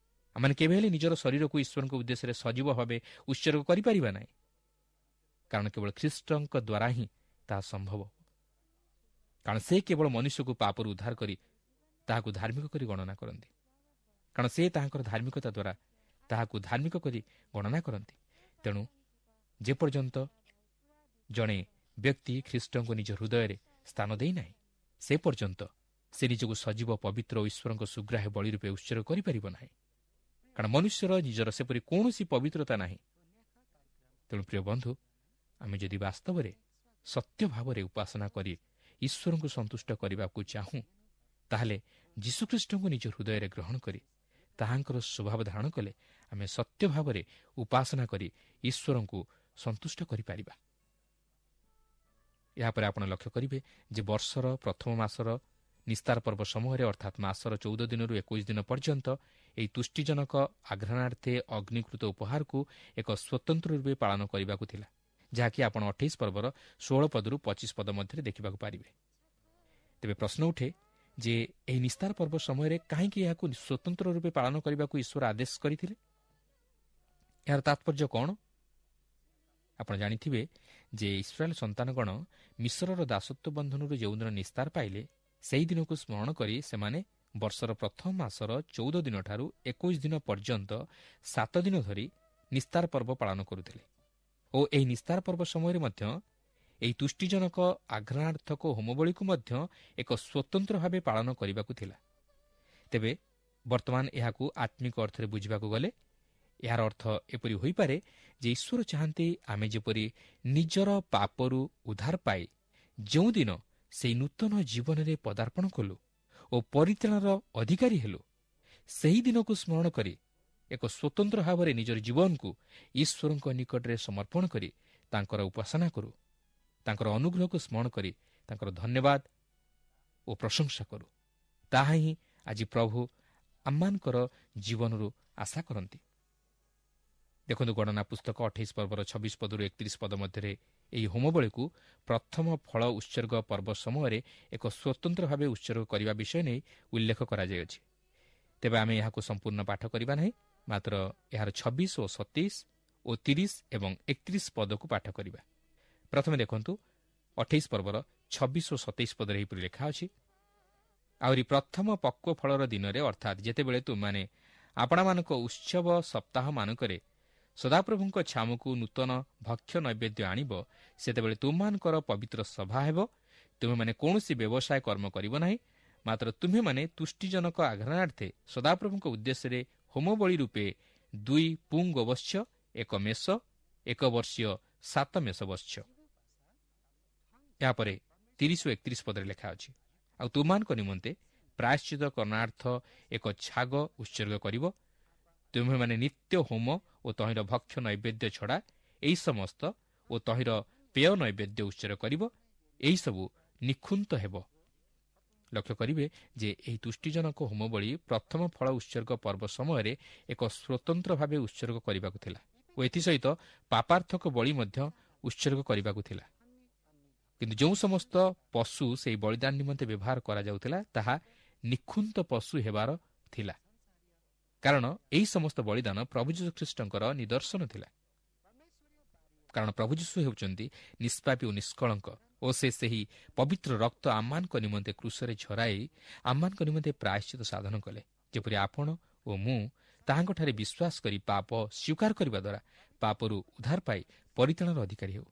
ଆମମାନେ କେବେ ହେଲେ ନିଜର ଶରୀରକୁ ଈଶ୍ୱରଙ୍କ ଉଦ୍ଦେଶ୍ୟରେ ସଜୀବ ଭାବେ ଉତ୍ସର୍ଗ କରିପାରିବା ନାହିଁ, କାରଣ କେବଳ ଖ୍ରୀଷ୍ଟଙ୍କ ଦ୍ୱାରା ହିଁ ତାହା ସମ୍ଭବ। କାରଣ ସେ କେବଳ ମନୁଷ୍ୟକୁ ପାପରୁ ଉଦ୍ଧାର କରି ତାହାକୁ ଧାର୍ମିକ କରି ଗଣନା କରନ୍ତି। କାରଣ ସେ ତାହାଙ୍କର ଧାର୍ମିକତା ଦ୍ୱାରା ତାହାକୁ ଧାର୍ମିକ କରି ଗଣନା କରନ୍ତି। ତେଣୁ ଯେପର୍ଯ୍ୟନ୍ତ ଜଣେ ବ୍ୟକ୍ତି ଖ୍ରୀଷ୍ଟଙ୍କୁ ନିଜ ହୃଦୟରେ ସ୍ଥାନ ଦେଇନାହିଁ, ସେ ପର୍ଯ୍ୟନ୍ତ ସେ ନିଜକୁ ସଜୀବ, ପବିତ୍ର ଓ ଈଶ୍ୱରଙ୍କ ସୁଗ୍ରାହ୍ୟ ବଳି ରୂପେ ଉତ୍ସର୍ଗ କରିପାରିବ ନାହିଁ। କାରଣ ମନୁଷ୍ୟର ନିଜର ସେପରି କୌଣସି ପବିତ୍ରତା ନାହିଁ। ତେଣୁ ପ୍ରିୟ ବନ୍ଧୁ, ଆମେ ଯଦି ବାସ୍ତବରେ ସତ୍ୟ ଭାବରେ ଉପାସନା କରି ଈଶ୍ୱରଙ୍କୁ ସନ୍ତୁଷ୍ଟ କରିବାକୁ ଚାହୁଁ, ତାହେଲେ ଯୀଶୁଖ୍ରୀଷ୍ଟଙ୍କୁ ନିଜ ହୃଦୟରେ ଗ୍ରହଣ କରି ତାହାଙ୍କର ସ୍ୱଭାବ ଧାରଣ କଲେ ଆମେ ସତ୍ୟ ଭାବରେ ଉପାସନା କରି ଈଶ୍ୱରଙ୍କୁ ସନ୍ତୁଷ୍ଟ କରିପାରିବା। ଏହାପରେ ଆପଣ ଲକ୍ଷ୍ୟ କରିବେ ଯେ ବର୍ଷର ପ୍ରଥମ ମାସର ନିସ୍ତାର ପର୍ବ ସମୟରେ, ଅର୍ଥାତ୍ ମାସର ଚଉଦ ଦିନରୁ ଏକୋଇଶ ଦିନ ପର୍ଯ୍ୟନ୍ତ, ଏହି ତୁଷ୍ଟିଜନକ ଆଘ୍ରାଣାର୍ଥେ ଅଗ୍ନିକୃତ ଉପହାରକୁ ଏକ ସ୍ୱତନ୍ତ୍ର ରୂପେ ପାଳନ କରିବାକୁ ଥିଲା, ଯାହାକି ଆପଣ ଅଠେଇଶ ପର୍ବର ଷୋହଳ ପଦରୁ ପଚିଶ ପଦ ମଧ୍ୟରେ ଦେଖିବାକୁ ପାରିବେ। ତେବେ ପ୍ରଶ୍ନ ଉଠେ ଯେ ଏହି ନିସ୍ତାର ପର୍ବ ସମୟରେ କାହିଁକି ଏହାକୁ ସ୍ୱତନ୍ତ୍ର ରୂପେ ପାଳନ କରିବାକୁ ଈଶ୍ୱର ଆଦେଶ କରିଥିଲେ? ଏହାର ତାତ୍ପର୍ଯ୍ୟ କ'ଣ? ଆପଣ ଜାଣିଥିବେ ଯେ ଇସ୍ରାଏଲ୍ ସନ୍ତାନଗଣ ମିଶ୍ରର ଦାସତ୍ୱ ବନ୍ଧନରୁ ଯେଉଁଦିନ ନିସ୍ତାର ପାଇଲେ, ସେହି ଦିନକୁ ସ୍ମରଣ କରି ସେମାନେ ବର୍ଷର ପ୍ରଥମ ମାସର ଚଉଦ ଦିନଠାରୁ ଏକୋଇଶ ଦିନ ପର୍ଯ୍ୟନ୍ତ ସାତ ଦିନ ଧରି ନିସ୍ତାର ପର୍ବ ପାଳନ କରୁଥିଲେ ଓ ଏହି ନିସ୍ତାର ପର୍ବ ସମୟରେ ମଧ୍ୟ ଏହି ତୁଷ୍ଟିଜନକ ଆଘ୍ରାଣାର୍ଥକ ହୋମବଳିକୁ ମଧ୍ୟ ଏକ ସ୍ୱତନ୍ତ୍ର ଭାବେ ପାଳନ କରିବାକୁ ଥିଲା। ତେବେ ବର୍ତ୍ତମାନ ଏହାକୁ ଆତ୍ମିକ ଅର୍ଥରେ ବୁଝିବାକୁ ଗଲେ ଏହାର ଅର୍ଥ ଏପରି ହୋଇପାରେ ଯେ ଈଶ୍ୱର ଚାହାନ୍ତି ଆମେ ଯେପରି ନିଜର ପାପରୁ ଉଦ୍ଧାର ପାଇ ଯେଉଁଦିନ ସେହି ନୂତନ ଜୀବନରେ ପଦାର୍ପଣ କଲୁ ଓ ପରିତ୍ରାଣର ଅଧିକାରୀ ହେଲୁ, ସେହି ଦିନକୁ ସ୍ମରଣ କରି ଏକ ସ୍ୱତନ୍ତ୍ର ଭାବରେ ନିଜର ଜୀବନକୁ ଈଶ୍ୱରଙ୍କ ନିକଟରେ ସମର୍ପଣ କରି ତାଙ୍କର ଉପାସନା କରୁ, ତାଙ୍କର ଅନୁଗ୍ରହକୁ ସ୍ମରଣ କରି ତାଙ୍କର ଧନ୍ୟବାଦ ଓ ପ୍ରଶଂସା କରୁ। ତାହା ହିଁ ଆଜି ପ୍ରଭୁ ଆମମାନଙ୍କର ଜୀବନରୁ ଆଶା କରନ୍ତି। ଦେଖନ୍ତୁ, ଗଣନା ପୁସ୍ତକ ଅଠେଇଶ ପର୍ବର ଛବିଶ ପଦରୁ ଏକତିରିଶ ପଦ ମଧ୍ୟରେ ଏହି ହୋମବଳିକୁ ପ୍ରଥମ ଫଳ ଉତ୍ସର୍ଗ ପର୍ବ ସମୟରେ ଏକ ସ୍ୱତନ୍ତ୍ର ଭାବେ ଉତ୍ସର୍ଗ କରିବା ବିଷୟ ନେଇ ଉଲ୍ଲେଖ କରାଯାଇଅଛି। ତେବେ ଆମେ ଏହାକୁ ସମ୍ପୂର୍ଣ୍ଣ ପାଠ କରିବା ନାହିଁ, ମାତ୍ର ଏହାର ଛବିଶ ଓ ସତେଇଶ ଓ ତିରିଶ ଏବଂ ଏକତିରିଶ ପଦକୁ ପାଠ କରିବା। ପ୍ରଥମେ ଦେଖନ୍ତୁ, ଅଠେଇଶ ପର୍ବର ଛବିଶ ଓ ସତେଇଶ ପଦରେ ଏହିପରି ଲେଖା ଅଛି, ଆହୁରି ପ୍ରଥମ ପକ୍ୱ ଫଳର ଦିନରେ, ଅର୍ଥାତ୍ ଯେତେବେଳେ ତୁମେମାନେ ଆପଣମାନଙ୍କ ଉତ୍ସବ ସପ୍ତାହମାନଙ୍କରେ ସଦାପ୍ରଭୁଙ୍କ ଛାମୁକୁ ନୂତନ ଭକ୍ଷ୍ୟ ନୈବେଦ୍ୟ ଆଣିବ, ସେତେବେଳେ ତୁମମାନଙ୍କର ପବିତ୍ର ସଭା ହେବ। ତୁମେମାନେ କୌଣସି ବ୍ୟବସାୟ କର୍ମ କରିବ ନାହିଁ, ମାତ୍ର ତୁମ୍ଭେମାନେ ତୁଷ୍ଟିଜନକ ଆଘ୍ରାଣାର୍ଥେ ସଦାପ୍ରଭୁଙ୍କ ଉଦ୍ଦେଶ୍ୟରେ ହୋମବଳି ରୂପେ ଦୁଇ ପୁଙ୍ଗବତ୍ସ, ଏକ ମେଷ, ଏକ ବର୍ଷୀୟ ସାତ ମେଷ ବତ୍ସ। ଏହାପରେ ତିରିଶ ଓ ଏକତିରିଶ ପଦରେ ଲେଖା ଅଛି, ଆଉ ତୁମମାନଙ୍କ ନିମନ୍ତେ ପ୍ରାୟଶ୍ଚିତ କରଣାର୍ଥ ଏକ ଛାଗ ଉତ୍ସର୍ଗ କରିବ। ତୁମ୍ଭେମାନେ ନିତ୍ୟ ହୋମ ଓ ତହିଁର ଭକ୍ଷ୍ୟ ନୈବେଦ୍ୟ ଛଡ଼ା ଏହି ସମସ୍ତ ଓ ତହିଁର ପେୟ ନୈବେଦ୍ୟ ଉତ୍ସର୍ଗ କରିବ, ଏହିସବୁ ନିଖୁନ୍ତ ହେବ। ଲକ୍ଷ୍ୟ କରିବେ ଯେ ଏହି ତୁଷ୍ଟିଜନକ ହୋମବଳି ପ୍ରଥମ ଫଳ ଉତ୍ସର୍ଗ ପର୍ବ ସମୟରେ ଏକ ସ୍ୱତନ୍ତ୍ର ଭାବେ ଉତ୍ସର୍ଗ କରିବାକୁ ଥିଲା ଓ ଏଥିସହିତ ପାପାର୍ଥକ ବଳି ମଧ୍ୟ ଉତ୍ସର୍ଗ କରିବାକୁ ଥିଲା। କିନ୍ତୁ ଯେଉଁ ସମସ୍ତ ପଶୁ ସେହି ବଳିଦାନ ନିମନ୍ତେ ବ୍ୟବହାର କରାଯାଉଥିଲା ତାହା ନିଖୁନ୍ତ ପଶୁ ହେବାର ଥିଲା, କାରଣ ଏହି ସମସ୍ତ ବଳିଦାନ ପ୍ରଭୁ ଯୀଶୁଖ୍ରୀଷ୍ଟଙ୍କର ନିଦର୍ଶନ ଥିଲା। କାରଣ ପ୍ରଭୁ ଯୀଶୁ ହେଉଛନ୍ତି ନିଷ୍ପାପୀ ଓ ନିଷ୍କଳଙ୍କ ଓ ସେ ସେହି ପବିତ୍ର ରକ୍ତ ଆମମାନଙ୍କ ନିମନ୍ତେ କ୍ରୁଶରେ ଝରାଇ ଆମମାନଙ୍କ ନିମନ୍ତେ ପ୍ରାୟଶ୍ଚିତ ସାଧନ କଲେ, ଯେପରି ଆପଣ ଓ ମୁଁ ତାହାଙ୍କଠାରେ ବିଶ୍ୱାସ କରି ପାପ ସ୍ୱୀକାର କରିବା ଦ୍ୱାରା ପାପରୁ ଉଦ୍ଧାର ପାଇ ପରିତ୍ରାଣର ଅଧିକାରୀ ହେଉ।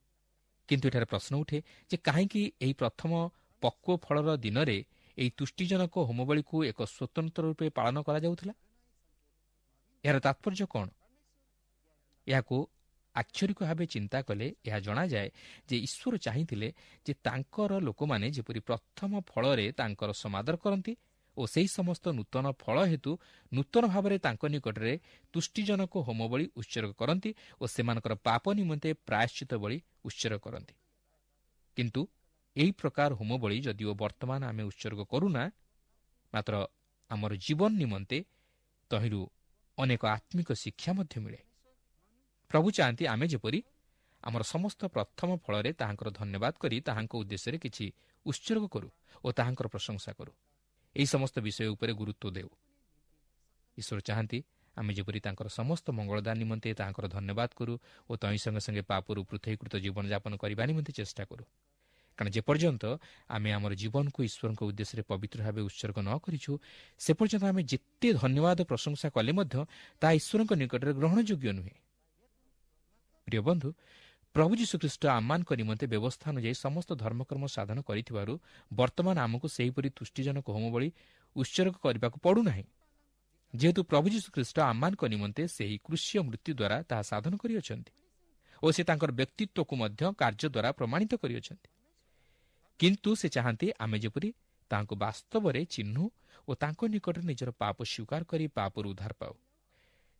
କିନ୍ତୁ ଏଠାରେ ପ୍ରଶ୍ନ ଉଠେ ଯେ କାହିଁକି ଏହି ପ୍ରଥମ ପକ୍ୱ ଫଳର ଦିନରେ ଏହି ତୁଷ୍ଟିଜନକ ହୋମବଳିକୁ ଏକ ସ୍ୱତନ୍ତ୍ର ରୂପେ ପାଳନ କରାଯାଉଥିଲା? ଏହାର ତାତ୍ପର୍ଯ୍ୟ କ'ଣ? ଏହାକୁ ଆକ୍ଷରିକ ଭାବେ ଚିନ୍ତା କଲେ ଏହା ଜଣାଯାଏ ଯେ ଈଶ୍ୱର ଚାହିଁଥିଲେ ଯେ ତାଙ୍କର ଲୋକମାନେ ଯେପରି ପ୍ରଥମ ଫଳରେ ତାଙ୍କର ସମାଦର କରନ୍ତି ଓ ସେହି ସମସ୍ତ ନୂତନ ଫଳ ହେତୁ ନୂତନ ଭାବରେ ତାଙ୍କ ନିକଟରେ ତୁଷ୍ଟିଜନକ ହୋମବଳି ଉତ୍ସର୍ଗ କରନ୍ତି ଓ ସେମାନଙ୍କର ପାପ ନିମନ୍ତେ ପ୍ରାୟଶ୍ଚିତ ବଳି ଉତ୍ସର୍ଗ କରନ୍ତି। କିନ୍ତୁ ଏହି ପ୍ରକାର ହୋମବଳି ଯଦିଓ ବର୍ତ୍ତମାନ ଆମେ ଉତ୍ସର୍ଗ କରୁନା, ମାତ୍ର ଆମର ଜୀବନ ନିମନ୍ତେ ତହିଁରୁ ଅନେକ ଆତ୍ମିକ ଶିକ୍ଷା ମଧ୍ୟ ମିଳେ। ପ୍ରଭୁ ଚାହାନ୍ତି ଆମେ ଯେପରି ଆମର ସମସ୍ତ ପ୍ରଥମ ଫଳରେ ତାହାଙ୍କର ଧନ୍ୟବାଦ କରି ତାହାଙ୍କ ଉଦ୍ଦେଶ୍ୟରେ କିଛି ଉତ୍ସର୍ଗ କରୁ ଓ ତାହାଙ୍କର ପ୍ରଶଂସା କରୁ। ଏହି ସମସ୍ତ ବିଷୟ ଉପରେ ଗୁରୁତ୍ୱ ଦେଉ। ଈଶ୍ୱର ଚାହାନ୍ତି ଆମେ ଯେପରି ତାଙ୍କର ସମସ୍ତ ମଙ୍ଗଳଦାନ ନିମନ୍ତେ ତାହାଙ୍କର ଧନ୍ୟବାଦ କରୁ ଓ ତହିଁ ସଙ୍ଗେ ସଙ୍ଗେ ପାପରୁ ପୃଥକୀକୃତ ଜୀବନଯାପନ କରିବା ନିମନ୍ତେ ଚେଷ୍ଟା କରୁ। କାରଣ ଯେପର୍ଯ୍ୟନ୍ତ ଆମେ ଆମର ଜୀବନକୁ ଈଶ୍ୱରଙ୍କ ଉଦ୍ଦେଶ୍ୟରେ ପବିତ୍ର ଭାବେ ଉତ୍ସର୍ଗ ନ କରିଛୁ, ସେ ପର୍ଯ୍ୟନ୍ତ ଆମେ ଯେତେ ଧନ୍ୟବାଦ ପ୍ରଶଂସା କଲେ ମଧ୍ୟ ତାହା ଈଶ୍ୱରଙ୍କ ନିକଟରେ ଗ୍ରହଣଯୋଗ୍ୟ ନୁହେଁ। ପ୍ରିୟ ବନ୍ଧୁ, ପ୍ରଭୁ ଯୀଶୁଖ୍ରୀଷ୍ଟ ଆମମାନଙ୍କ ନିମନ୍ତେ ବ୍ୟବସ୍ଥା ଅନୁଯାୟୀ ସମସ୍ତ ଧର୍ମକର୍ମ ସାଧନ କରିଥିବାରୁ ବର୍ତ୍ତମାନ ଆମକୁ ସେହିପରି ତୁଷ୍ଟିଜନକ ହୋମବଳି ଉତ୍ସର୍ଗ କରିବାକୁ ପଡ଼ୁନାହିଁ। ଯେହେତୁ ପ୍ରଭୁ ଯୀଶୁଖ୍ରୀଷ୍ଟ ଆମମାନଙ୍କ ନିମନ୍ତେ ସେହି କ୍ରୁଶୀୟ ମୃତ୍ୟୁ ଦ୍ୱାରା ତାହା ସାଧନ କରିଅଛନ୍ତି ଓ ସେ ତାଙ୍କର ବ୍ୟକ୍ତିତ୍ୱକୁ ମଧ୍ୟ କାର୍ଯ୍ୟ ଦ୍ୱାରା ପ୍ରମାଣିତ କରିଅଛନ୍ତି। କିନ୍ତୁ ସେ ଚାହାନ୍ତି ଆମେ ଯେପରି ତାହାଙ୍କୁ ବାସ୍ତବରେ ଚିହ୍ନୁ ଓ ତାଙ୍କ ନିକଟରେ ନିଜର ପାପ ସ୍ୱୀକାର କରି ପାପରୁ ଉଦ୍ଧାର ପାଉ।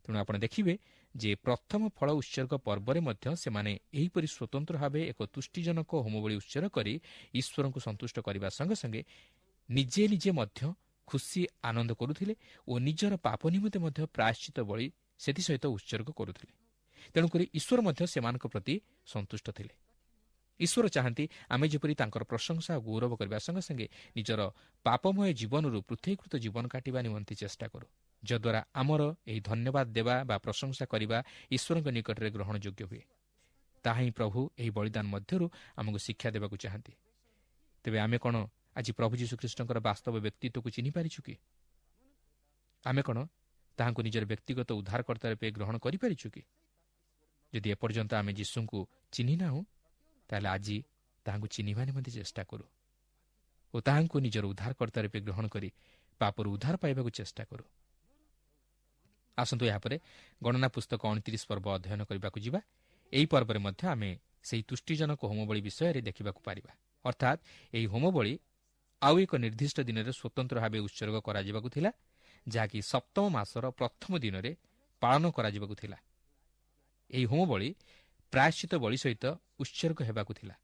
ତେଣୁ ଆପଣ ଦେଖିବେ ଯେ ପ୍ରଥମ ଫଳ ଉତ୍ସର୍ଗ ପର୍ବରେ ମଧ୍ୟ ସେମାନେ ଏହିପରି ସ୍ୱତନ୍ତ୍ର ଭାବେ ଏକ ତୁଷ୍ଟିଜନକ ହୋମବଳି ଉତ୍ସର୍ଗ କରି ଈଶ୍ୱରଙ୍କୁ ସନ୍ତୁଷ୍ଟ କରିବା ସଙ୍ଗେ ସଙ୍ଗେ ନିଜେ ନିଜେ ମଧ୍ୟ ଖୁସି ଆନନ୍ଦ କରୁଥିଲେ ଓ ନିଜର ପାପ ନିମନ୍ତେ ମଧ୍ୟ ପ୍ରାୟଶ୍ଚିତ ବଳି ସେଥିସହିତ ଉତ୍ସର୍ଗ କରୁଥିଲେ। ତେଣୁକରି ଈଶ୍ୱର ମଧ୍ୟ ସେମାନଙ୍କ ପ୍ରତି ସନ୍ତୁଷ୍ଟ ଥିଲେ। ଈଶ୍ୱର ଚାହାନ୍ତି ଆମେ ଯେପରି ତାଙ୍କର ପ୍ରଶଂସା ଓ ଗୌରବ କରିବା ସଙ୍ଗେ ସଙ୍ଗେ ନିଜର ପାପମୟ ଜୀବନରୁ ପୃଥକୀକୃତ ଜୀବନ କାଟିବା ନିମନ୍ତେ ଚେଷ୍ଟା କରୁ, ଯଦ୍ୱାରା ଆମର ଏହି ଧନ୍ୟବାଦ ଦେବା ବା ପ୍ରଶଂସା କରିବା ଈଶ୍ୱରଙ୍କ ନିକଟରେ ଗ୍ରହଣଯୋଗ୍ୟ ହୁଏ। ତାହା ହିଁ ପ୍ରଭୁ ଏହି ବଳିଦାନ ମଧ୍ୟରୁ ଆମକୁ ଶିକ୍ଷା ଦେବାକୁ ଚାହାନ୍ତି। ତେବେ ଆମେ କ'ଣ ଆଜି ପ୍ରଭୁ ଯୀଶୁଖ୍ରୀଷ୍ଟଙ୍କର ବାସ୍ତବ ବ୍ୟକ୍ତିତ୍ୱକୁ ଚିହ୍ନିପାରିଛୁ କି? ଆମେ କ'ଣ ତାହାଙ୍କୁ ନିଜର ବ୍ୟକ୍ତିଗତ ଉଦ୍ଧାରକର୍ତ୍ତା ରୂପେ ଗ୍ରହଣ କରିପାରିଛୁ କି? ଯଦି ଏପର୍ଯ୍ୟନ୍ତ ଆମେ ଯୀଶୁଙ୍କୁ ଚିହ୍ନି ନାହୁଁ, ତାହେଲେ ଆଜି ତାହାଙ୍କୁ ଚିହ୍ନିବା ନିମନ୍ତେ ଚେଷ୍ଟା କରୁ ଓ ତାହାଙ୍କୁ ନିଜର ଉଦ୍ଧାରକର୍ତ୍ତା ରୂପେ ଗ୍ରହଣ କରି ପାପରୁ ଉଦ୍ଧାର ପାଇବାକୁ ଚେଷ୍ଟା କରୁ। ଆସନ୍ତୁ ଏହାପରେ ଗଣନା ପୁସ୍ତକ ଅଣତିରିଶ ପର୍ବ ଅଧ୍ୟୟନ କରିବାକୁ ଯିବା। ଏହି ପର୍ବରେ ମଧ୍ୟ ଆମେ ସେହି ତୁଷ୍ଟିଜନକ ହୋମବଳି ବିଷୟରେ ଦେଖିବାକୁ ପାରିବା। ଅର୍ଥାତ୍ ଏହି ହୋମବଳି ଆଉ ଏକ ନିର୍ଦ୍ଦିଷ୍ଟ ଦିନରେ ସ୍ୱତନ୍ତ୍ର ଭାବେ ଉତ୍ସର୍ଗ କରାଯିବାକୁ ଥିଲା, ଯାହାକି ସପ୍ତମ ମାସର ପ୍ରଥମ ଦିନରେ ପାଳନ କରାଯିବାକୁ ଥିଲା। ଏହି ହୋମବଳି ପ୍ରାୟଶ୍ଚିତ ବଳି ସହିତ ଉତ୍ସର୍ଗ ହେବାକୁ ଥିଲା।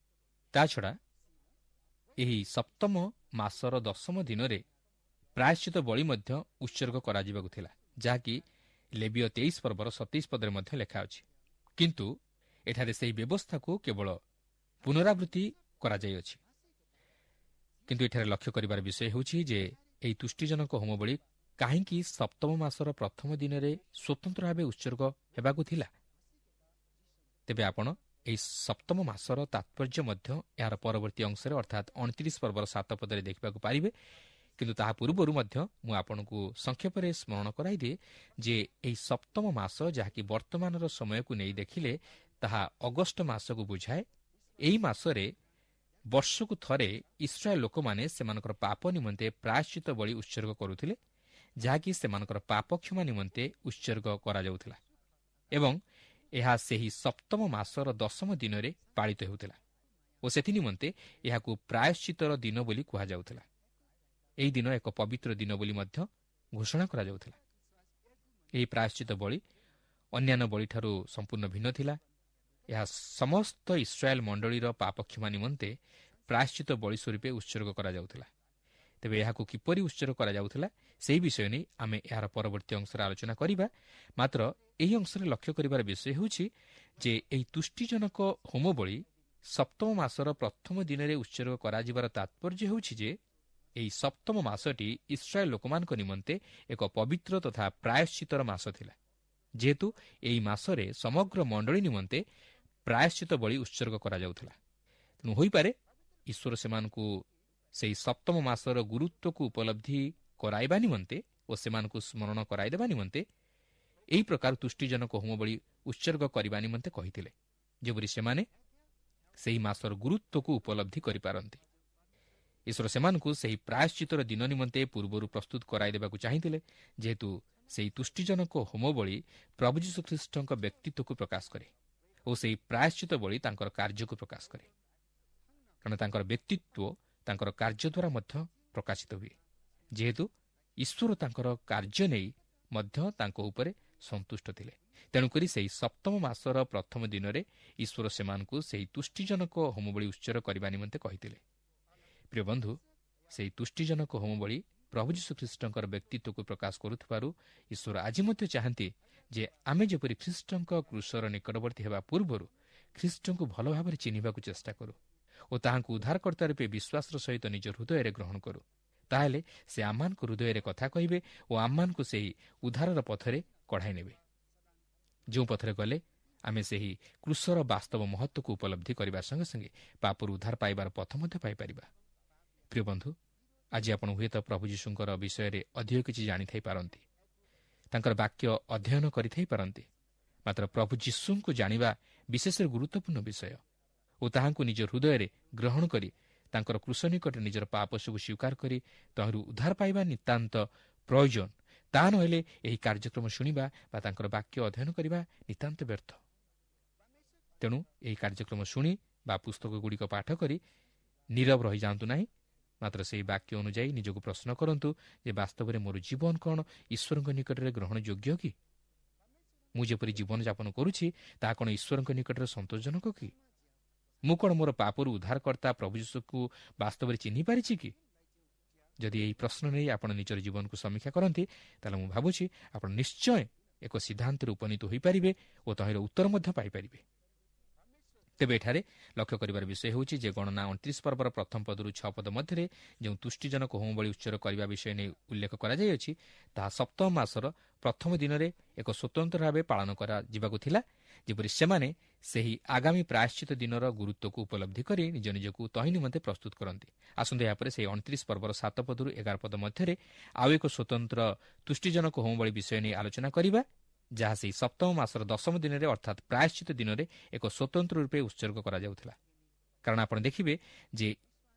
ତାଛଡ଼ା ଏହି ସପ୍ତମ ମାସର ଦଶମ ଦିନରେ ପ୍ରାୟଶ୍ଚିତ ବଳି ମଧ୍ୟ ଉତ୍ସର୍ଗ କରାଯିବାକୁ ଥିଲା, ଯାହାକି ଲେବୀୟ ତେଇଶ ପର୍ବର ସତେଇଶ ପଦରେ ମଧ୍ୟ ଲେଖା ଅଛି। କିନ୍ତୁ ଏଠାରେ ସେହି ବ୍ୟବସ୍ଥାକୁ କେବଳ ପୁନରାବୃତ୍ତି କରାଯାଇଅଛି। କିନ୍ତୁ ଏଠାରେ ଲକ୍ଷ୍ୟ କରିବାର ବିଷୟ ହେଉଛି ଯେ ଏହି ତୁଷ୍ଟିଜନକ ହୋମବଳି କାହିଁକି ସପ୍ତମ ମାସର ପ୍ରଥମ ଦିନରେ ସ୍ୱତନ୍ତ୍ର ଭାବେ ଉତ୍ସର୍ଗ ହେବାକୁ ଥିଲା? ତେବେ ଆପଣ ଏହି ସପ୍ତମ ମାସର ତାତ୍ପର୍ଯ୍ୟ ମଧ୍ୟ ଏହାର ପରବର୍ତ୍ତୀ ଅଂଶରେ ଅର୍ଥାତ୍ ଅଣତିରିଶ ପର୍ବର ସାତ ପଦରେ ଦେଖିବାକୁ ପାରିବେ। କିନ୍ତୁ ତାହା ପୂର୍ବରୁ ମଧ୍ୟ ମୁଁ ଆପଣଙ୍କୁ ସଂକ୍ଷେପରେ ସ୍ମରଣ କରାଇଦିଏ ଯେ ଏହି ସପ୍ତମ ମାସ, ଯାହାକି ବର୍ତ୍ତମାନର ସମୟକୁ ନେଇ ଦେଖିଲେ ତାହା ଅଗଷ୍ଟ ମାସକୁ ବୁଝାଏ, ଏହି ମାସରେ ବର୍ଷକୁ ଥରେ ଇସ୍ରାଏଲ ଲୋକମାନେ ସେମାନଙ୍କର ପାପ ନିମନ୍ତେ ପ୍ରାୟଶ୍ଚିତ ବଳି ଉତ୍ସର୍ଗ କରୁଥିଲେ, ଯାହାକି ସେମାନଙ୍କର ପାପ କ୍ଷମା ନିମନ୍ତେ ଉତ୍ସର୍ଗ କରାଯାଉଥିଲା ଏବଂ ଏହା ସେହି ସପ୍ତମ ମାସର ଦଶମ ଦିନରେ ପାଳିତ ହେଉଥିଲା ଓ ସେଥି ନିମନ୍ତେ ଏହାକୁ ପ୍ରାୟଶ୍ଚିତର ଦିନ ବୋଲି କୁହାଯାଉଥିଲା। ଏହି ଦିନ ଏକ ପବିତ୍ର ଦିନ ବୋଲି ମଧ୍ୟ ଘୋଷଣା କରାଯାଉଥିଲା। ଏହି ପ୍ରାୟଶ୍ଚିତ ବଳି ଅନ୍ୟାନ୍ୟ ବଳିଠାରୁ ସମ୍ପୂର୍ଣ୍ଣ ଭିନ୍ନ ଥିଲା। ଏହା ସମସ୍ତ ଇସ୍ରାଏଲ ମଣ୍ଡଳୀର ପାପକ୍ଷମା ନିମନ୍ତେ ପ୍ରାୟଶ୍ଚିତ ବଳି ସ୍ୱରୂପେ ଉତ୍ସର୍ଗ କରାଯାଉଥିଲା। ତେବେ ଏହାକୁ କିପରି ଉତ୍ସର୍ଗ କରାଯାଉଥିଲା ସେହି ବିଷୟ ନେଇ ଆମେ ଏହାର ପରବର୍ତ୍ତୀ ଅଂଶରେ ଆଲୋଚନା କରିବା। ମାତ୍ର ଏହି ଅଂଶରେ ଲକ୍ଷ୍ୟ କରିବାର ବିଷୟ ହେଉଛି ଯେ ଏହି ତୁଷ୍ଟିଜନକ ହୋମବଳି ସପ୍ତମ ମାସର ପ୍ରଥମ ଦିନରେ ଉତ୍ସର୍ଗ କରାଯିବାର ତାତ୍ପର୍ଯ୍ୟ ହେଉଛି ଯେ ଏହି ସପ୍ତମ ମାସଟି ଇସ୍ରାଏଲ ଲୋକମାନଙ୍କ ନିମନ୍ତେ ଏକ ପବିତ୍ର ତଥା ପ୍ରାୟଶ୍ଚିତର ମାସ ଥିଲା, ଯେହେତୁ ଏହି ମାସରେ ସମଗ୍ର ମଣ୍ଡଳୀ ନିମନ୍ତେ ପ୍ରାୟଶ୍ଚିତ ବଳି ଉତ୍ସର୍ଗ କରାଯାଉଥିଲା। ତେଣୁ ହୋଇପାରେ ଈଶ୍ୱର ସେମାନଙ୍କୁ ସେହି ସପ୍ତମ ମାସର ଗୁରୁତ୍ୱକୁ ଉପଲବ୍ଧି କରାଇବା ନିମନ୍ତେ ଓ ସେମାନଙ୍କୁ ସ୍ମରଣ କରାଇଦେବା ନିମନ୍ତେ ଏହି ପ୍ରକାର ତୁଷ୍ଟିଜନକ ହୋମବଳି ଉତ୍ସର୍ଗ କରିବା ନିମନ୍ତେ କହିଥିଲେ, ଯେପରି ସେମାନେ ସେହି ମାସର ଗୁରୁତ୍ୱକୁ ଉପଲବ୍ଧି କରିପାରନ୍ତି। ଈଶ୍ୱର ସେମାନଙ୍କୁ ସେହି ପ୍ରାୟଶ୍ଚିତର ଦିନ ନିମନ୍ତେ ପୂର୍ବରୁ ପ୍ରସ୍ତୁତ କରାଇଦେବାକୁ ଚାହିଁଥିଲେ, ଯେହେତୁ ସେହି ତୁଷ୍ଟିଜନକ ହୋମବଳି ପ୍ରଭୁ ଯୀଶୁଖ୍ରୀଷ୍ଟଙ୍କ ବ୍ୟକ୍ତିତ୍ୱକୁ ପ୍ରକାଶ କରେ ଓ ସେହି ପ୍ରାୟଶ୍ଚିତ ବଳି ତାଙ୍କର କାର୍ଯ୍ୟକୁ ପ୍ରକାଶ କରେ, କାରଣ ତାଙ୍କର ବ୍ୟକ୍ତିତ୍ୱ ତାଙ୍କର କାର୍ଯ୍ୟ ଦ୍ୱାରା ମଧ୍ୟ ପ୍ରକାଶିତ ହୁଏ। ଯେହେତୁ ଈଶ୍ୱର ତାଙ୍କର କାର୍ଯ୍ୟ ନେଇ ମଧ୍ୟ ତାଙ୍କ ଉପରେ ସନ୍ତୁଷ୍ଟ ଥିଲେ, ତେଣୁକରି ସେହି ସପ୍ତମ ମାସର ପ୍ରଥମ ଦିନରେ ଈଶ୍ୱର ସେମାନଙ୍କୁ ସେହି ତୁଷ୍ଟିଜନକ ହୋମବଳି ଉତ୍ସର୍ଗ କରିବା ନିମନ୍ତେ କହିଥିଲେ। ପ୍ରିୟ ବନ୍ଧୁ, ସେହି ତୁଷ୍ଟିଜନକ ହୋମବଳି ପ୍ରଭୁ ଯୀଶୁଖ୍ରୀଷ୍ଟଙ୍କର ବ୍ୟକ୍ତିତ୍ୱକୁ ପ୍ରକାଶ କରୁଥିବାରୁ ଈଶ୍ୱର ଆଜି ମଧ୍ୟ ଚାହାନ୍ତି ଯେ ଆମେ ଯେପରି ଖ୍ରୀଷ୍ଟଙ୍କ କ୍ରୁଶର ନିକଟବର୍ତ୍ତୀ ହେବା ପୂର୍ବରୁ ଖ୍ରୀଷ୍ଟଙ୍କୁ ଭଲ ଭାବରେ ଚିହ୍ନିବାକୁ ଚେଷ୍ଟା କରୁ ଓ ତାହାଙ୍କୁ ଉଦ୍ଧାରକର୍ତ୍ତା ରୂପେ ବିଶ୍ୱାସର ସହିତ ନିଜ ହୃଦୟରେ ଗ୍ରହଣ କରୁ। ତାହେଲେ ସେ ଆମମାନଙ୍କ ହୃଦୟରେ କଥା କହିବେ ଓ ଆମମାନଙ୍କୁ ସେହି ଉଦ୍ଧାରର ପଥରେ କଢ଼ାଇ ନେବେ, ଯେଉଁ ପଥରେ ଗଲେ ଆମେ ସେହି କ୍ରୁଶର ବାସ୍ତବ ମହତ୍ତ୍ୱକୁ ଉପଲବ୍ଧି କରିବା ସଙ୍ଗେ ସଙ୍ଗେ ପାପରୁ ଉଦ୍ଧାର ପାଇବାର ପଥ ମଧ୍ୟ ପାଇପାରିବା। ପ୍ରିୟ ବନ୍ଧୁ, ଆଜି ଆପଣ ହୁଏତ ପ୍ରଭୁ ଯୀଶୁଙ୍କର ବିଷୟରେ ଅଧିକ କିଛି ଜାଣିଥାଇପାରନ୍ତି, ତାଙ୍କର ବାକ୍ୟ ଅଧ୍ୟୟନ କରିଥାଇପାରନ୍ତି, ମାତ୍ର ପ୍ରଭୁ ଯୀଶୁଙ୍କୁ ଜାଣିବା ବିଶେଷରେ ଗୁରୁତ୍ୱପୂର୍ଣ୍ଣ ବିଷୟ ଓ ତାହାଙ୍କୁ ନିଜ ହୃଦୟରେ ଗ୍ରହଣ କରି ତାଙ୍କର କ୍ରୁଶ ନିକଟରେ ନିଜର ପାପ ସବୁ ସ୍ୱୀକାର କରି ତହିଁରୁ ଉଦ୍ଧାର ପାଇବା ନିତାନ୍ତ ପ୍ରୟୋଜନ। ତାହା ନହେଲେ ଏହି କାର୍ଯ୍ୟକ୍ରମ ଶୁଣିବା ବା ତାଙ୍କର ବାକ୍ୟ ଅଧ୍ୟୟନ କରିବା ନିତାନ୍ତ ବ୍ୟର୍ଥ। ତେଣୁ ଏହି କାର୍ଯ୍ୟକ୍ରମ ଶୁଣି ବା ପୁସ୍ତକଗୁଡ଼ିକ ପାଠ କରି ନୀରବ ରହିଯାଆନ୍ତୁ ନାହିଁ, ମାତ୍ର ସେହି ବାକ୍ୟ ଅନୁଯାୟୀ ନିଜକୁ ପ୍ରଶ୍ନ କରନ୍ତୁ ଯେ ବାସ୍ତବରେ ମୋର ଜୀବନ କ'ଣ ଈଶ୍ୱରଙ୍କ ନିକଟରେ ଗ୍ରହଣଯୋଗ୍ୟ କି? ମୁଁ ଯେପରି ଜୀବନଯାପନ କରୁଛି ତାହା କ'ଣ ଈଶ୍ୱରଙ୍କ ନିକଟରେ ସନ୍ତୋଷଜନକ କି? ମୁଁ କ'ଣ ମୋର ପାପରୁ ଉଦ୍ଧାରକର୍ତ୍ତା ପ୍ରଭୁ ଯୀଶୁକୁ ବାସ୍ତବରେ ଚିହ୍ନି ପାରିଛି କି? ଯଦି ଏହି ପ୍ରଶ୍ନ ନେଇ ଆପଣ ନିଜର ଜୀବନକୁ ସମୀକ୍ଷା କରନ୍ତି, ତାହେଲେ ମୁଁ ଭାବୁଛି ଆପଣ ନିଶ୍ଚୟ ଏକ ସିଦ୍ଧାନ୍ତରେ ଉପନୀତ ହୋଇପାରିବେ ଓ ତହିଁର ଉତ୍ତର ମଧ୍ୟ ପାଇପାରିବେ। ତେବେ ଏଠାରେ ଲକ୍ଷ୍ୟ କରିବାର ବିଷୟ ହେଉଛି ଯେ ଗଣନା ଅଣତିରିଶ ପର୍ବର ପ୍ରଥମ ପଦରୁ ଛଅ ପଦ ମଧ୍ୟରେ ଯେଉଁ ତୁଷ୍ଟିଜନକ ହୋମବଳି ଉତ୍ସର୍ଗ କରିବା ବିଷୟ ନେଇ ଉଲ୍ଲେଖ କରାଯାଇଅଛି, ତାହା ସପ୍ତମ ମାସର ପ୍ରଥମ ଦିନରେ ଏକ ସ୍ୱତନ୍ତ୍ର ଭାବେ ପାଳନ କରାଯିବାକୁ ଥିଲା, ଯେପରି ସେମାନେ ସେହି ଆଗାମୀ ପ୍ରାୟଶ୍ଚିତ ଦିନର ଗୁରୁତ୍ୱକୁ ଉପଲବ୍ଧି କରି ନିଜ ନିଜକୁ ତହିଁ ନିମନ୍ତେ ପ୍ରସ୍ତୁତ କରନ୍ତି। ଆସନ୍ତୁ ଏହାପରେ ସେହି ଅଣତିରିଶ ପର୍ବର ସାତ ପଦରୁ ଏଗାର ପଦ ମଧ୍ୟରେ ଆଉ ଏକ ସ୍ୱତନ୍ତ୍ର ତୁଷ୍ଟିଜନକ ହୋମବଳି ବିଷୟ ନେଇ ଆଲୋଚନା କରିବା, ଯାହା ସେହି ସପ୍ତମ ମାସର ଦଶମ ଦିନରେ ଅର୍ଥାତ୍ ପ୍ରାୟଶ୍ଚିତ ଦିନରେ ଏକ ସ୍ୱତନ୍ତ୍ର ରୂପେ ଉତ୍ସର୍ଗ କରାଯାଉଥିଲା। କାରଣ ଆପଣ ଦେଖିବେ ଯେ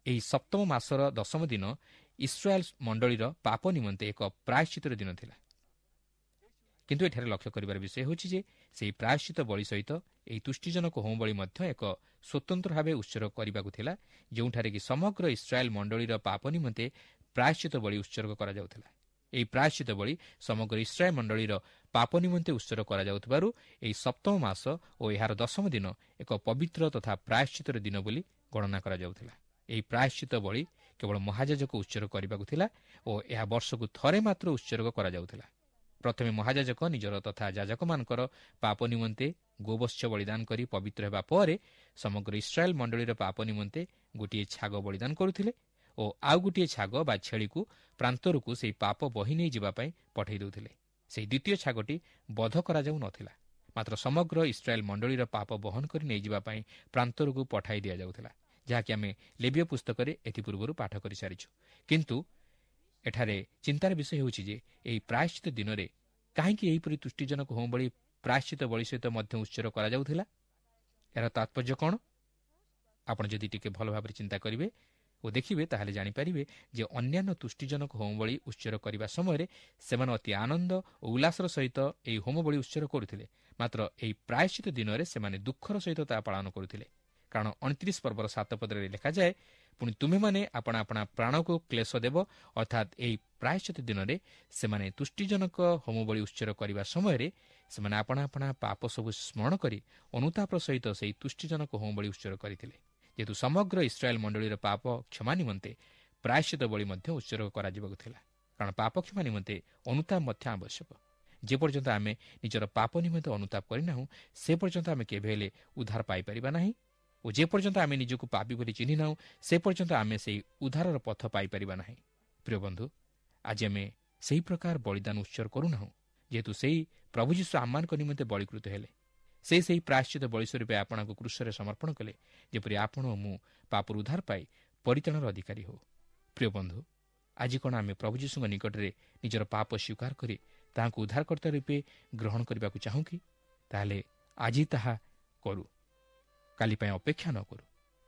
ଏହି ସପ୍ତମ ମାସର ଦଶମ ଦିନ ଇସ୍ରାଏଲ ମଣ୍ଡଳୀର ପାପ ନିମନ୍ତେ ଏକ ପ୍ରାୟଶ୍ଚିତର ଦିନ ଥିଲା। କିନ୍ତୁ ଏଠାରେ ଲକ୍ଷ୍ୟ କରିବାର ବିଷୟ ହେଉଛି ଯେ ସେହି ପ୍ରାୟଶ୍ଚିତ ବଳି ସହିତ ଏହି ତୁଷ୍ଟିଜନକ ହୋମବଳି ମଧ୍ୟ ଏକ ସ୍ୱତନ୍ତ୍ର ଭାବେ ଉତ୍ସର୍ଗ କରିବାକୁ ଥିଲା, ଯେଉଁଠାରେ କି ସମଗ୍ର ଇସ୍ରାଏଲ ମଣ୍ଡଳୀର ପାପ ନିମନ୍ତେ ପ୍ରାୟଶ୍ଚିତ ବଳି ଉତ୍ସର୍ଗ କରାଯାଉଥିଲା। ଏହି ପ୍ରାୟଶ୍ଚିତ ବଳି ସମଗ୍ର ଇସ୍ରାଏଲ ମଣ୍ଡଳୀର ପାପ ନିମନ୍ତେ ଉତ୍ସର୍ଗ କରାଯାଉଥିବାରୁ ଏହି ସପ୍ତମ ମାସ ଓ ଏହାର ଦଶମ ଦିନ ଏକ ପବିତ୍ର ତଥା ପ୍ରାୟଶ୍ଚିତର ଦିନ ବୋଲି ଗଣନା କରାଯାଉଥିଲା। ଏହି ପ୍ରାୟଶ୍ଚିତ ବଳି କେବଳ ମହାଯାଜକ ଉତ୍ସର୍ଗ କରିବାକୁ ଥିଲା ଓ ଏହା ବର୍ଷକୁ ଥରେ ମାତ୍ର ଉତ୍ସର୍ଗ କରାଯାଉଥିଲା। ପ୍ରଥମେ ମହାଯାଜକ ନିଜର ତଥା ଯାଜକମାନଙ୍କର ପାପ ନିମନ୍ତେ ଗୋବତ୍ସ ବଳିଦାନ କରି ପବିତ୍ର ହେବା ପରେ ସମଗ୍ର ଇସ୍ରାଏଲ ମଣ୍ଡଳୀର ପାପ ନିମନ୍ତେ ଗୋଟିଏ ଛାଗ ବଳିଦାନ କରୁଥିଲେ ଓ ଆଉ ଗୋଟିଏ ଛାଗ ବା ଛେଳିକୁ ପ୍ରାନ୍ତରକୁ ସେହି ପାପ ବହି ନେଇଯିବା ପାଇଁ ପଠାଇ ଦେଉଥିଲେ। ସେହି ଦ୍ୱିତୀୟ ଛାଗଟି ବଧ କରାଯାଉନଥିଲା, ମାତ୍ର ସମଗ୍ର ଇସ୍ରାଏଲ ମଣ୍ଡଳୀର ପାପ ବହନ କରି ନେଇଯିବା ପାଇଁ ପ୍ରାନ୍ତରକୁ ପଠାଇ ଦିଆଯାଉଥିଲା, ଯାହାକି ଆମେ ଲେବୀୟ ପୁସ୍ତକରେ ଏଥିପୂର୍ବରୁ ପାଠ କରିସାରିଛୁ। କିନ୍ତୁ ଏଠାରେ ଚିନ୍ତାର ବିଷୟ ହେଉଛି ଯେ ଏହି ପ୍ରାୟଶ୍ଚିତ ଦିନରେ କାହିଁକି ଏହିପରି ତୁଷ୍ଟିଜନକ ହୋମବଳି ପ୍ରାୟଶ୍ଚିତ ବଳି ସହିତ ମଧ୍ୟ ଉତ୍ସର୍ଗ କରାଯାଉଥିଲା? ଏହାର ତାତ୍ପର୍ଯ୍ୟ କ'ଣ? ଆପଣ ଯଦି ଟିକେ ଭଲ ଭାବରେ ଚିନ୍ତା କରିବେ ଓ ଦେଖିବେ, ତାହେଲେ ଜାଣିପାରିବେ ଯେ ଅନ୍ୟାନ୍ୟ ତୁଷ୍ଟିଜନକ ହୋମବଳି ଉତ୍ସର୍ଗ କରିବା ସମୟରେ ସେମାନେ ଅତି ଆନନ୍ଦ ଓ ଉଲ୍ଲାସର ସହିତ ଏହି ହୋମବଳି ଉତ୍ସର୍ଗ କରୁଥିଲେ, ମାତ୍ର ଏହି ପ୍ରାୟଶ୍ଚିତ ଦିନରେ ସେମାନେ ଦୁଃଖର ସହିତ ତାହା ପାଳନ କରୁଥିଲେ। କାରଣ ଅଣତିରିଶ ପର୍ବର ସାତ ପଦରେ ଲେଖାଯାଏ, ପୁଣି ତୁମେମାନେ ଆପଣା ଆପଣା ପ୍ରାଣକୁ କ୍ଲେଶ ଦେବ। ଅର୍ଥାତ୍ ଏହି ପ୍ରାୟଶ୍ଚିତ ଦିନରେ ସେମାନେ ତୁଷ୍ଟିଜନକ ହୋମବଳି ଉତ୍ସର୍ଗ କରିବା ସମୟରେ ସେମାନେ ଆପଣା ଆପଣା ପାପ ସବୁ ସ୍ମରଣ କରି ଅନୁତାପର ସହିତ ସେହି ତୁଷ୍ଟିଜନକ ହୋମବଳି ଉତ୍ସର୍ଗ କରିଥିଲେ। ଯେହେତୁ ସମଗ୍ର ଇସ୍ରାଏଲ ମଣ୍ଡଳୀର ପାପ କ୍ଷମା ନିମନ୍ତେ ପ୍ରାୟଶ୍ଚିତ ବଳି ମଧ୍ୟ ଉତ୍ସର୍ଗ କରାଯିବାକୁ ଥିଲା, କାରଣ ପାପ କ୍ଷମା ନିମନ୍ତେ ଅନୁତାପ ମଧ୍ୟ ଆବଶ୍ୟକ। ଯେପର୍ଯ୍ୟନ୍ତ ଆମେ ନିଜର ପାପ ନିମନ୍ତେ ଅନୁତାପ କରିନାହୁଁ, ସେ ପର୍ଯ୍ୟନ୍ତ ଆମେ କେବେ ହେଲେ ଉଦ୍ଧାର ପାଇପାରିବା ନାହିଁ ଓ ଯେପର୍ଯ୍ୟନ୍ତ ଆମେ ନିଜକୁ ପାପୀ ବୋଲି ଚିହ୍ନି ନାହୁଁ, ସେ ପର୍ଯ୍ୟନ୍ତ ଆମେ ସେହି ଉଦ୍ଧାରର ପଥ ପାଇପାରିବା ନାହିଁ। ପ୍ରିୟ ବନ୍ଧୁ, ଆଜି ଆମେ ସେହି ପ୍ରକାର ବଳିଦାନ ଉତ୍ସର୍ଗ କରୁନାହୁଁ, ଯେହେତୁ ସେହି ପ୍ରଭୁ ଯୀଶୁ ଆମମାନଙ୍କ ନିମନ୍ତେ ବଳିକୃତ ହେଲେ। ସେ ସେହି ପ୍ରାୟଶ୍ଚିତ ବଳି ସ୍ୱରୂପେ ଆପଣଙ୍କୁ କ୍ରୁଶରେ ସମର୍ପଣ କଲେ, ଯେପରି ଆପଣ ଓ ମୁଁ ପାପରୁ ଉଦ୍ଧାର ପାଇ ପରିତ୍ରାଣର ଅଧିକାରୀ ହେଉ। ପ୍ରିୟ ବନ୍ଧୁ, ଆଜି କ'ଣ ଆମେ ପ୍ରଭୁ ଯୀଶୁଙ୍କ ନିକଟରେ ନିଜର ପାପ ସ୍ୱୀକାର କରି ତାହାଙ୍କୁ ଉଦ୍ଧାରକର୍ତ୍ତା ରୂପେ ଗ୍ରହଣ କରିବାକୁ ଚାହୁଁ କି? ତାହେଲେ ଆଜି ତାହା କରୁ, କାଲି ପାଇଁ ଅପେକ୍ଷା ନ କରୁ।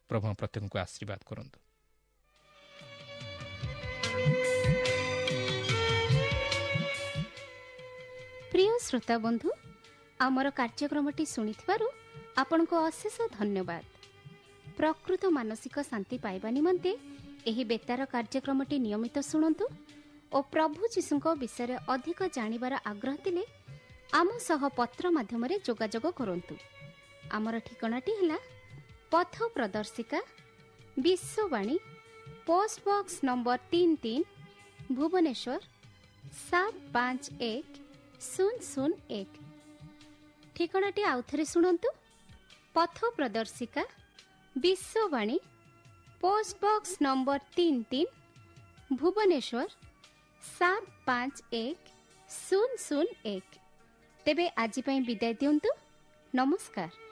ପ୍ରଭୁ ପ୍ରତ୍ୟେକଙ୍କୁ ଆଶୀର୍ବାଦ କରନ୍ତୁ। ପ୍ରିୟ ଶ୍ରୋତା ବନ୍ଧୁ, ଆମର କାର୍ଯ୍ୟକ୍ରମଟି ଶୁଣିଥିବାରୁ ଆପଣଙ୍କୁ ଅଶେଷ ଧନ୍ୟବାଦ। ପ୍ରକୃତ ମାନସିକ ଶାନ୍ତି ପାଇବା ନିମନ୍ତେ ଏହି ବେତାର କାର୍ଯ୍ୟକ୍ରମଟି ନିୟମିତ ଶୁଣନ୍ତୁ ଓ ପ୍ରଭୁ ଯୀଶୁଙ୍କ ବିଷୟରେ ଅଧିକ ଜାଣିବାର ଆଗ୍ରହ ଥିଲେ ଆମ ସହ ପତ୍ର ମାଧ୍ୟମରେ ଯୋଗାଯୋଗ କରନ୍ତୁ। ଆମର ଠିକଣାଟି ହେଲା ପଥ ପ୍ରଦର୍ଶିକା, ବିଶ୍ୱବାଣୀ, ପୋଷ୍ଟ ବକ୍ସ ନମ୍ବର ତିନି ତିନି, ଭୁବନେଶ୍ୱର ସାତ ପାଞ୍ଚ ଏକ ଶୂନ ଶୂନ ଏକ। ଠିକଣାଟି ଆଉଥରେ ଶୁଣନ୍ତୁ, ପଥ ପ୍ରଦର୍ଶିକା, ବିଶ୍ୱବାଣୀ, ପୋଷ୍ଟ ବକ୍ସ ନମ୍ବର ତିନି ତିନି, ଭୁବନେଶ୍ୱର ସାତ ପାଞ୍ଚ ଏକ ଶୂନ ଶୂନ ଏକ। ତେବେ ଆଜି ପାଇଁ ବିଦାୟ ଦିଅନ୍ତୁ। ନମସ୍କାର।